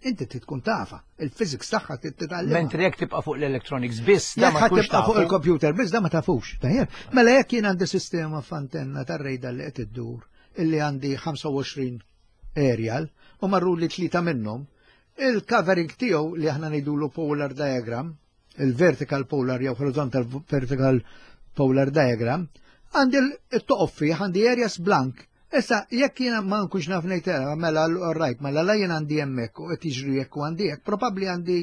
Inti trid tkun tafa, il-physics tagħha trid titgħallem. Mentri jekk tibqa' fuq l-electronics biss, da ma tkunx tibqa' fuq il-computer biss da ma tafux. Tajjeb, mela jekk jien għandi sistema f'antenna tar-rejda li qed iddur illi għandi 25 aerial u marru li tlieta minnhom, il-covering tiegħu li aħna ngħidulu polar diagram, il-vertical polar jew horizontal vertical polar diagram, għandi il-toqof fih, għandi areas blank. Issa, jekk jiena ma nkunx naf ngħid eh, mela right, mela la jien għandi hemmhekk u qed jiġri jekk u għandi hekk, probabbli għandi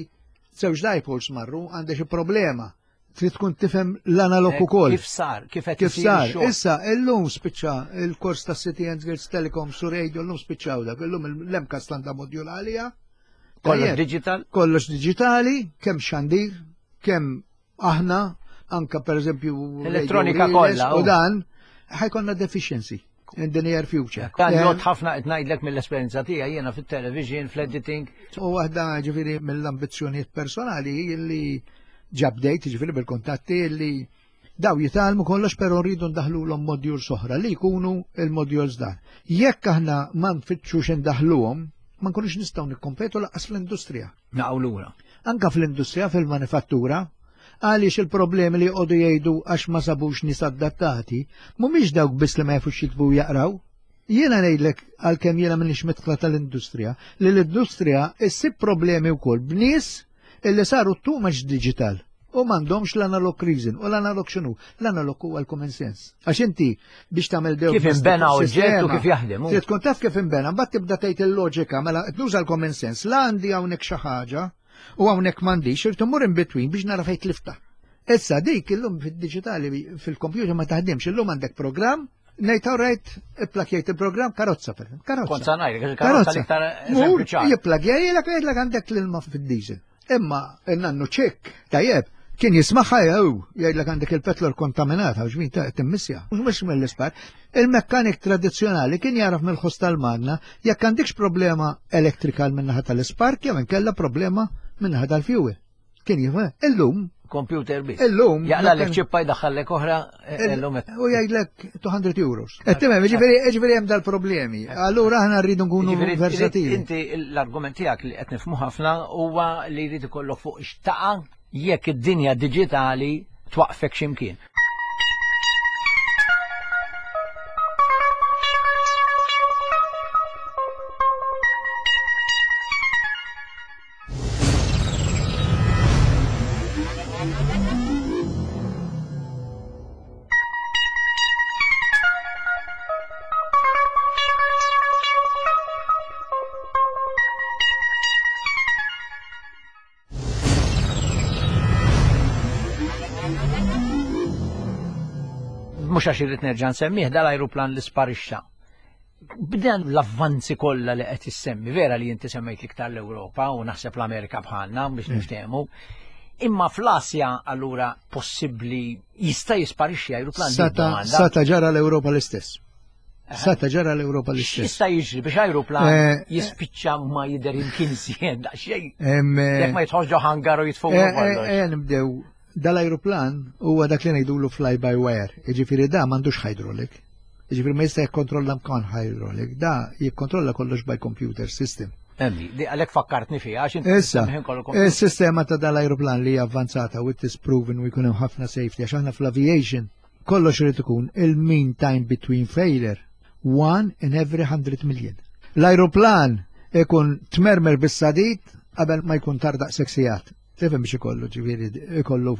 żewġ dipoles marru, għandi xi problema. Trid tkun tifhem l-analog eh, ukoll. Kif sar, kif qed kif sar. Issa, illum spiċċa il-kors ta' City and Girls Telecom su radio illum spiċċaw dak, illum l-MCAS għandha modjul għalija. Kollox digital? Kollox digitali, kemm xandir, kemm aħna, anka per eżempju. Elettronika kollha. U dan, ħajkonna deficiency in the near future. Dan jgħod ħafna qed ngħidlek mill-esperjenza tiegħi jiena fit-television, fl-editing. U waħda ġifieri mill-ambizzjonijiet personali li ġabdejt ġifieri bil-kuntatti li Daw jitgħallmu kollox però rridu ndaħħlulhom modules oħra li jkunu il-modules dan. Jekk aħna ma nfittxux indaħħluhom, ma nkunux nistgħu nikkompetu lanqas fl-industrija. Naqgħu lura. Anka fl-industrija, fil-manifattura, għaliex il-problemi li jqogħdu jgħidu għax ma sabux nies adattati, mhumiex dawk biss li ma jafux jiktbu u jaqraw. Jiena ngħidlek għalkemm jiena m'iniex midħla tal-industrija, li l-industrija issib problemi wkoll b'nies Illi saru too much digital u m'għandhomx l-analog reason. U l-analog x'inhu? L-analog huwa l-common sense. Għax inti biex tagħmel dew Kif inbena oġġett u kif jaħdem. Trid tkun taf kif inbena, mbagħad tibda tgħid il-loġika mela nuża l-common sense. La għandi hawnhekk xi ħaġa u hawnhekk m'għandix, irid immur in between biex nara fejn tlifta. Issa dik illum fid-diġitali fil-kompjuter ma taħdimx, illum għandek programm Ngħid all right, ipplakjajt il-programm karozza per karozza. Kont sa ngħidlek il-karozza l-iktar eżempju ċar. Jipplakjajlek jgħidlek għandek l-ilma fid-diesel. Imma nannu ċek, tajjeb, kien jismaħħa jew jgħidlek għandek il-petrol kontaminat għax min ta' timmissja. Mhux mill-ispar. Il-mekkanik tradizzjonali kien jaraf mill-ħoss tal-magna jekk għandekx problema electrical min-naħa tal-ispark jew inkella problema min-naħa tal-fuel. Kien jifhem, illum. Computer biss. Illum. Jaqla ċippa jdaħħallek oħra eh, illum. U jgħidlek 200 euros. Qed tifhem, jiġifieri jiġifieri hemm dal-problemi. Allura aħna rridu nkunu versatili. Inti l-argument tiegħek li qed nifhmu ħafna huwa li jrid ikollok fuq xtaqa jekk id-dinja diġitali twaqfek x'imkien. Mhux għax irrid nerġa' nsemmih dal-ajruplan li sparixxa. B'dan l-avvanzi kollha li qed issemmi, vera li inti semmejt l-iktar l-Ewropa u naħseb l-Amerika bħalna biex mm. niftehmu. Imma fl-Asja allura possibbli jista' jisparixxi ajruplan. Sata ġara l-Ewropa l-istess. Sata ġara l-Ewropa l-istess. Jista' jiġri biex ajruplan eh, eh. jispiċċa ma jidher imkien sien daqsxejn. Eh, Jekk ma jidħolx ġo hangar u jitfuq. Nibdew Dal-ajruplan huwa dak li ngħidulu fly by wire, jiġifieri da m'għandux hydraulic. Jiġifieri ma jista' jikkontrolla mkan hydraulic, da jikkontrolla kollox by computer system. Emmi, di għalhekk fakkartni fiha għax inti Issa, is-sistema ta' dal-ajruplan li hija avvanzata u it is proven u jkun hemm ħafna safety għax aħna fl-aviation kollox irid ikun il-mean time between failure one in every 100 million. L-ajruplan ikun tmermer bis-sadid qabel ma jkun tardaq seksijat. Tifhem biex ikollu ġifieri ikollu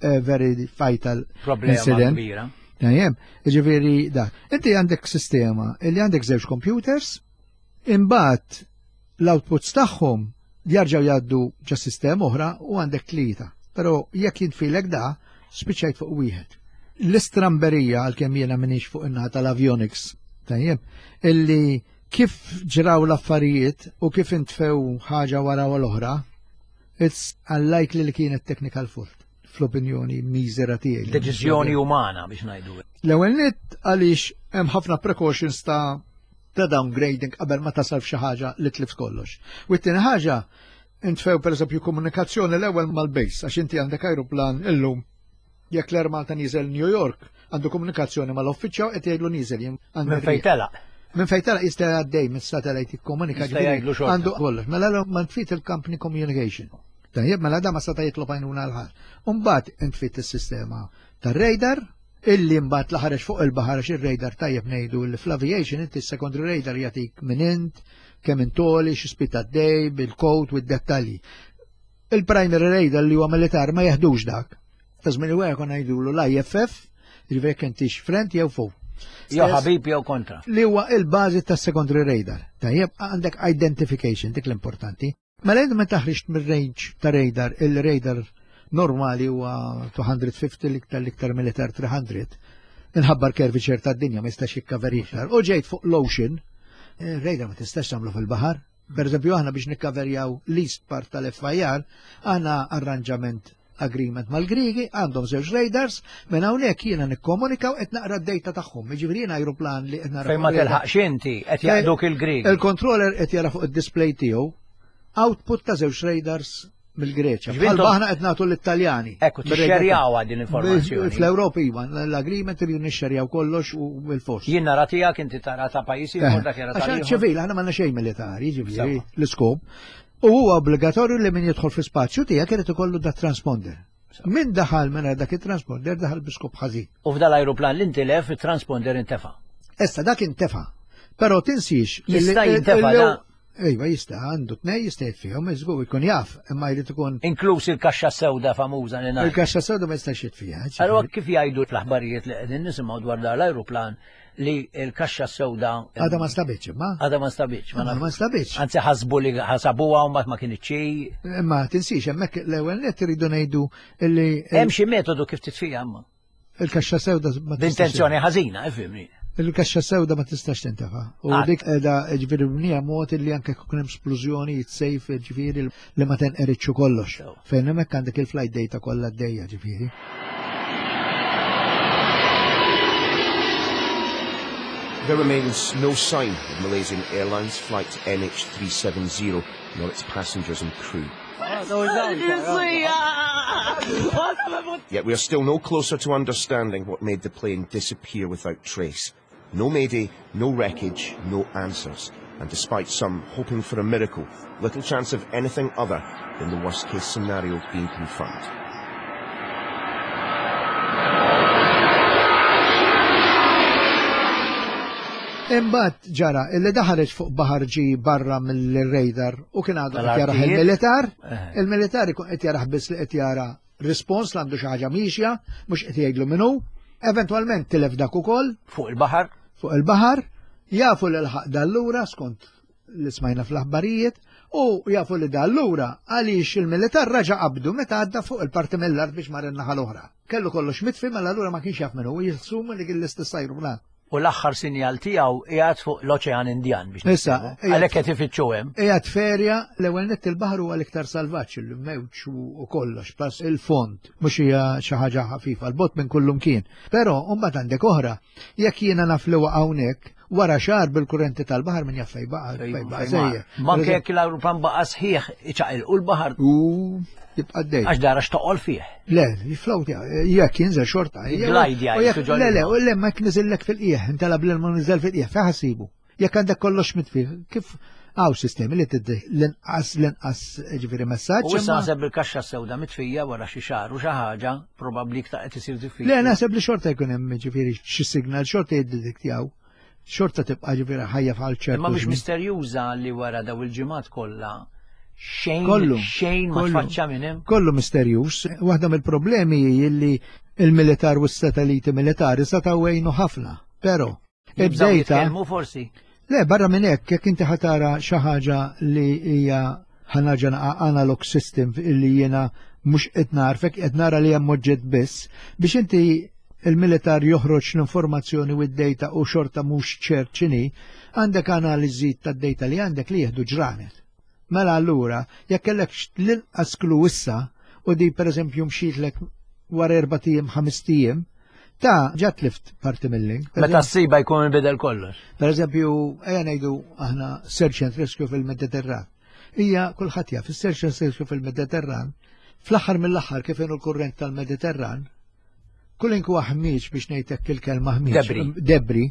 eh, very fatal problema kbira. Tajjeb, ġifieri da. Inti għandek sistema li għandek żewġ computers, imbagħad l-outputs tagħhom jarġgħu jgħaddu ġa sistema oħra u għandek tlieta. Però jekk jintfilek da, spiċċajt fuq wieħed. L-istramberija għalkemm jiena minix fuq in-naħa tal-avionics, tajjeb, illi kif ġraw l-affarijiet u kif intfew ħaġa wara l-oħra, It's unlikely li kienet technical fault fl-opinjoni miżera tiegħi. Deċiżjoni umana biex ngħidu. L-ewwel nett għaliex hemm ħafna precautions ta' ta' downgrading qabel ma tasal f'xi ħaġa li tlift kollox. U t-tieni ħaġa intfew pereżempju komunikazzjoni l-ewwel mal-base għax inti għandek ajruplan illum jekk l-Air Malta nieżel New York għandu komunikazzjoni mal-uffiċċju qed jgħidlu nieżel jien. Minn fejn telaq. Minn fejn telaq jista' għaddej mis-satellite jikkomunika għandu kollox. Mela ma tfit il-company communication. Tajjeb, mela da ma seta' jitlob għajnuna l-ħar. Umbagħad intfit is-sistema tar-radar illi mbagħad la ħareġ fuq il-baħar għax ir-radar tajjeb ngħidu li fl-aviation inti s-secondary radar jagħtik minn int, kemm intoli, xi speed għaddej, bil-code u d-dettalji. Il-primary radar li huwa militar ma jeħdux dak. Ta' żmien il-gwerra konna ngħidulu l-IFF, jiġifieri jekk intix friend jew foe. Jew ħabib jew kontra. Li huwa il-bażi tas secondary radar. Tajjeb għandek identification dik l-importanti. Mela inti meta ħriġt mir-range ta' radar, il-radar normali huwa 250 l-iktar l-iktar militar 300. Inħabbar curvature tad-dinja ma jistax jikkaver iktar. U ġejt fuq l-ocean, eh, radar ma tistax tagħmlu fil-baħar, Per eżempju, aħna biex nikkaverjaw l-east part tal-FIR, aħna arranġament agreement mal-Grigi, għandhom żewġ radars, minn hawnhekk jiena nikkomunika u qed naqra d-data tagħhom. Jiġifieri jiena ajruplan li qed nara. Fejn ma tilħaqx inti qed jaqduk il-Grigi. Il-controller qed jara fuq id-display tiegħu output ta' żewġ radars mill-Greċja. Bħal aħna qed nagħtu l-Italjani. Ekku, tixxerjawha din informazzjoni. Fl-Ewropa iva, l-agreement irridu nixxerjaw kollox u bil-fors. Jien nara tiegħek inti tara ta' pajjiż ieħor dak jara ta' ċivil, aħna m'għandna xejn militari, ġifieri l-iskop. U huwa obbligatorju li min jidħol fi spazju tiegħek irid ikollu da transponder. Min daħal minn dak it-transponder daħal bi skop ħażin. U f'dal ajruplan li intilef it-transponder intefa'. Issa dak intefa'. Però tinsiex. Jista' jintefa' Ejwa jista' għandu tnej jista' jitfihom, żgur jkun jaf, imma jrid ikun. Inkluż il-kaxxa sewda famuża li ngħid. Il-kaxxa sewda ma jistax jitfiha. Allura kif jgħidu fl-aħbarijiet li qegħdin nisimgħu dwar dan l-ajruplan li l-kaxxa sewda. Għadha ma nstabitx, imma. Għadha ma nstabitx. Ma nstabitx. Anzi ħasbu li ħasabuha u mbagħad ma kinitx. Imma tinsix hemmhekk l-ewwel nett iridu ngħidu li. Hemm xi metodu kif titfiha imma. Il-kaxxa sewda ma tistax. B'intenzjoni ħażina, ifhimni. Il-kaxxa sewda ma tistax tintefa. U dik qiegħda ġifieri mnija mod li anke jkun hemm splużjoni jitsejf ġifieri li ma tenqeritx kollox. Fejn hemmhekk għandek il-flight data kollha għaddejja ġifieri. There remains no sign of Malaysian Airlines flight MH370 nor its passengers and crew. Yet we are still no closer to understanding what made the plane disappear without trace. No mayday, no wreckage, no answers. And despite some hoping for a miracle, little chance of anything other than the worst case scenario being confirmed. Imbagħad ġara illi daħareġ fuq baħar ġi barra mill-radar u kien għadu qed jarah il-militar, eh. il-militar ikun qed jarah biss li qed jara rispons li għandu xi ħaġa miexja, mhux qed jgħidlu minnu, eventwalment tilef dak ukoll. Fuq il-baħar. Fuq il-baħar, jafu l ħaq dallura skont li smajna fl-aħbarijiet u jafu li dallura għaliex il-militar raġa qabdu meta għadda fuq il-parti mill-art biex mar in-naħa l-oħra. Kellu kollox mitfi mela allura ma kienx jaf minnu, jissum li kien l-istess ajruplan. U l-aħħar sinjal tiegħu qiegħed fuq l-Oċean Indjan biex. Issa, għalhekk qed ifittxu hemm. Qiegħed ferja l-ewwel nett il-baħar huwa l-iktar salvaġġ il-mewġ u kollox, plus il-fond mhux hija xi ħaġa ħafifa, l-bot minn kullum kien. Però mbagħad għandek oħra, jekk jiena naf li waqa' hawnhekk, wara xahar bil-kurrenti tal-baħar min jaf fejn baqa' fejn baqa' sejjer. Manke jekk l-ajruplan baqa' sħiħ iċaqilqu l-baħar. U jibqa' dej. Għax dara x'toqol fih. Le, jiflowt, jekk jinżel xorta. Glide jgħid. Le, le, le, ma jekk niżillek fil-qiegħ, intalab l ma niżel fil-qiegħ, fejn ħassibu. Jekk għandek kollox mitfi, kif għaw sistemi li tiddi l-inqas l-inqas ġifieri messaġġ. U issa naħseb il-kaxxa sewda mitfija wara xi xahar u xi ħaġa probabbli iktar qed isir diffiċli. Le naħseb li xorta jkun hemm ġifieri xi signal xorta jiddidiktjaw. Xorta tibqa' ġifieri ħajja bħal ċertu. Imma mhux misterjuża li wara daw il-ġimgħat kollha xejn kollu xejn ma tfaċċa minn hemm. Kollu misterjuż. Waħda mill-problemi hi li il-militar u s-satelliti militari setgħu jgħinu ħafna, però id-data forsi. Le, barra minn hekk, jekk inti ħatara xi ħaġa li hija ħanaġa analog system illi jiena mhux qed narfek, qed nara li hemm oġġett biss, biex inti il-militar joħroġ l-informazzjoni u d-data u xorta mhux ċert x'inhi, għandek analiżi tad-data li għandek li jieħdu ġranet. Mela allura, jekk kellek l-inqas klu issa u di pereżempju mxitlek wara erba' ijiem ħames ijiem, ta' ġa tlift parti mill-link. Meta ssiba jkun inbidel kollox. Per eżempju, ejja ngħidu aħna search and rescue fil-Mediterran. Hija kulħadd jaf, is-search and rescue fil-Mediterran, fl-aħħar mill-aħħar kif inhu l-kurrent tal-Mediterran, kull inku ħmieġ biex ngħidlek il-kelma ħmieġ. Debri. Debri,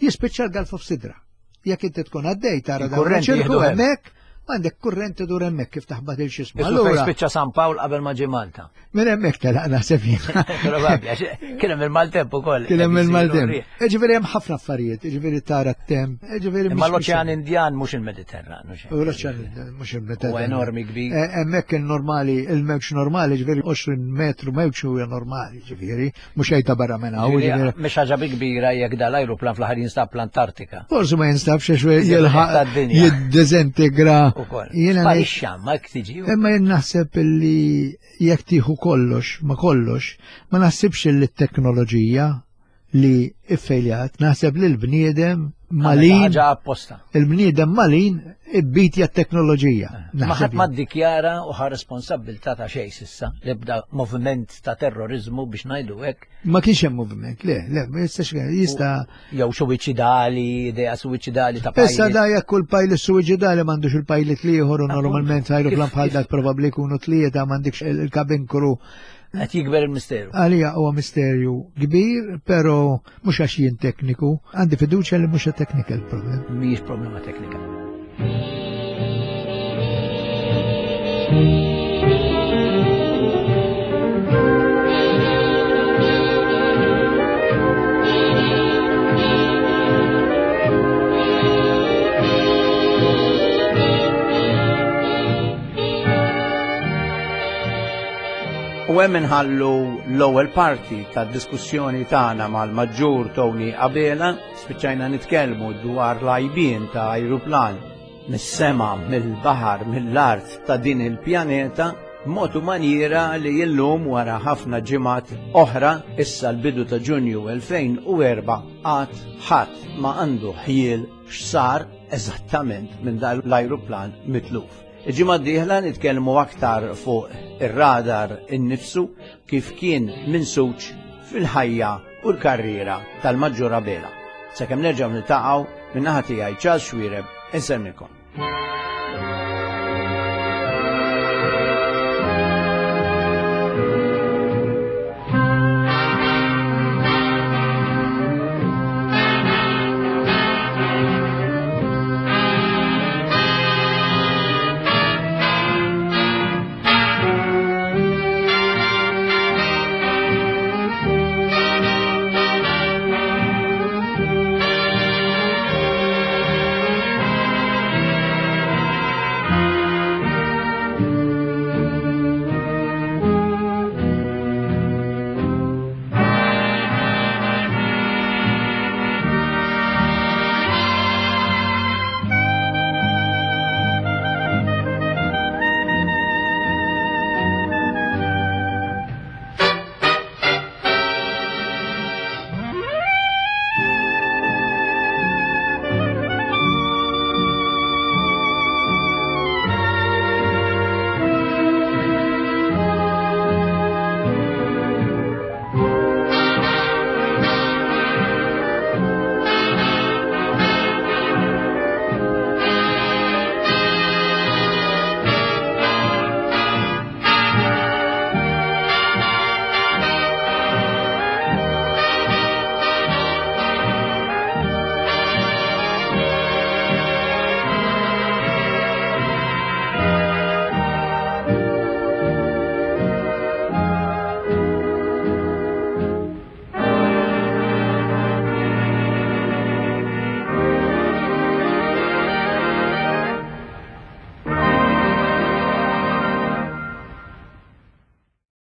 jispiċċa l-Gulf of Sidra. Jekk inti tkun għaddej tara dan Il-kurrent ċirku jieħdu hemm. hemmhekk, għandek kurrent idur hemmhekk kif taħbat il xismu. Isu fejn Allura, spiċċa San Pawl qabel ma ġie Malta. minn hemmhekk telaq naħseb jien. Probabbli, għax kien hemm il-maltemp ukoll. Kien hemm il-maltemp. Ġifieri hemm ħafna affarijiet, ġifieri tara t-temp, ġifieri Imma l-Oċean Indjan mhux il-Mediterran. mhux hekk. U l-oċean mhux il-Mediterran. Huwa enormi kbir. Eh, hemmhekk il-normali, il-mewġ normali, ġifieri 20 metru mewġ huwa normali, ġifieri, mhux għajta barra minn hawn. Ġifieri, mhix ħaġa bi kbira jekk dal-ajruplan fl-aħħar jinstab l-Antartika. Forsi ma jinstabx għax jilħaq jiddiżintegra. Jiena Sparixxa ma jekk tiġi. Imma jien naħseb li jekk tieħu kollox ma kollox, ma naħsibx li t-teknoloġija li iffejljat, naħseb li l-bniedem malin. Ħaġa apposta. Il-bniedem malin ibbitja t-teknoloġija. Eh, ma ħadd ma ddikjara u ħa responsabbiltà ta' xejn sissa l-ebda moviment ta' terrorizmu biex ngħidu hekk. Ma kienx hemm moviment, le, le, ma jistax jista'. Jew suwiċidali, idea suwiċidali ta' pilot. Issa da jekk kull pilot suwiċidali m'għandux il-pilot liħor u normalment ajruplan bħal dak probabbli jkunu tlieta m'għandekx il-cabin crew. Qed jikber il-misteru. Għalija huwa misterju kbir, però mhux għax jien tekniku, għandi fiduċja li mhux technical problem. Mhijiex problema teknika. U hemm inħallu l-ewwel parti tad-diskussjoni tagħna mal-Maġġur Tony Abela, spiċċajna nitkellmu dwar l-għajbien ta' ajruplan mis-sema, mill-baħar, mill-art ta' din il-pjaneta, b'mod u manjiera li illum wara ħafna ġimgħat oħra, issa l-bidu ta' Ġunju 2004, għad ħadd ma għandu ħjiel x'sar eżattament minn dan l-ajruplan mitluf. Il-ġimgħa d-dieħla nitkellmu aktar fuq ir-radar innifsu kif kien minsuġ fil-ħajja u l-karriera tal-Maġġur Abela. Sakemm nerġgħu niltaqgħu, min-naħa tiegħi Charles Xuereb insellmilkom.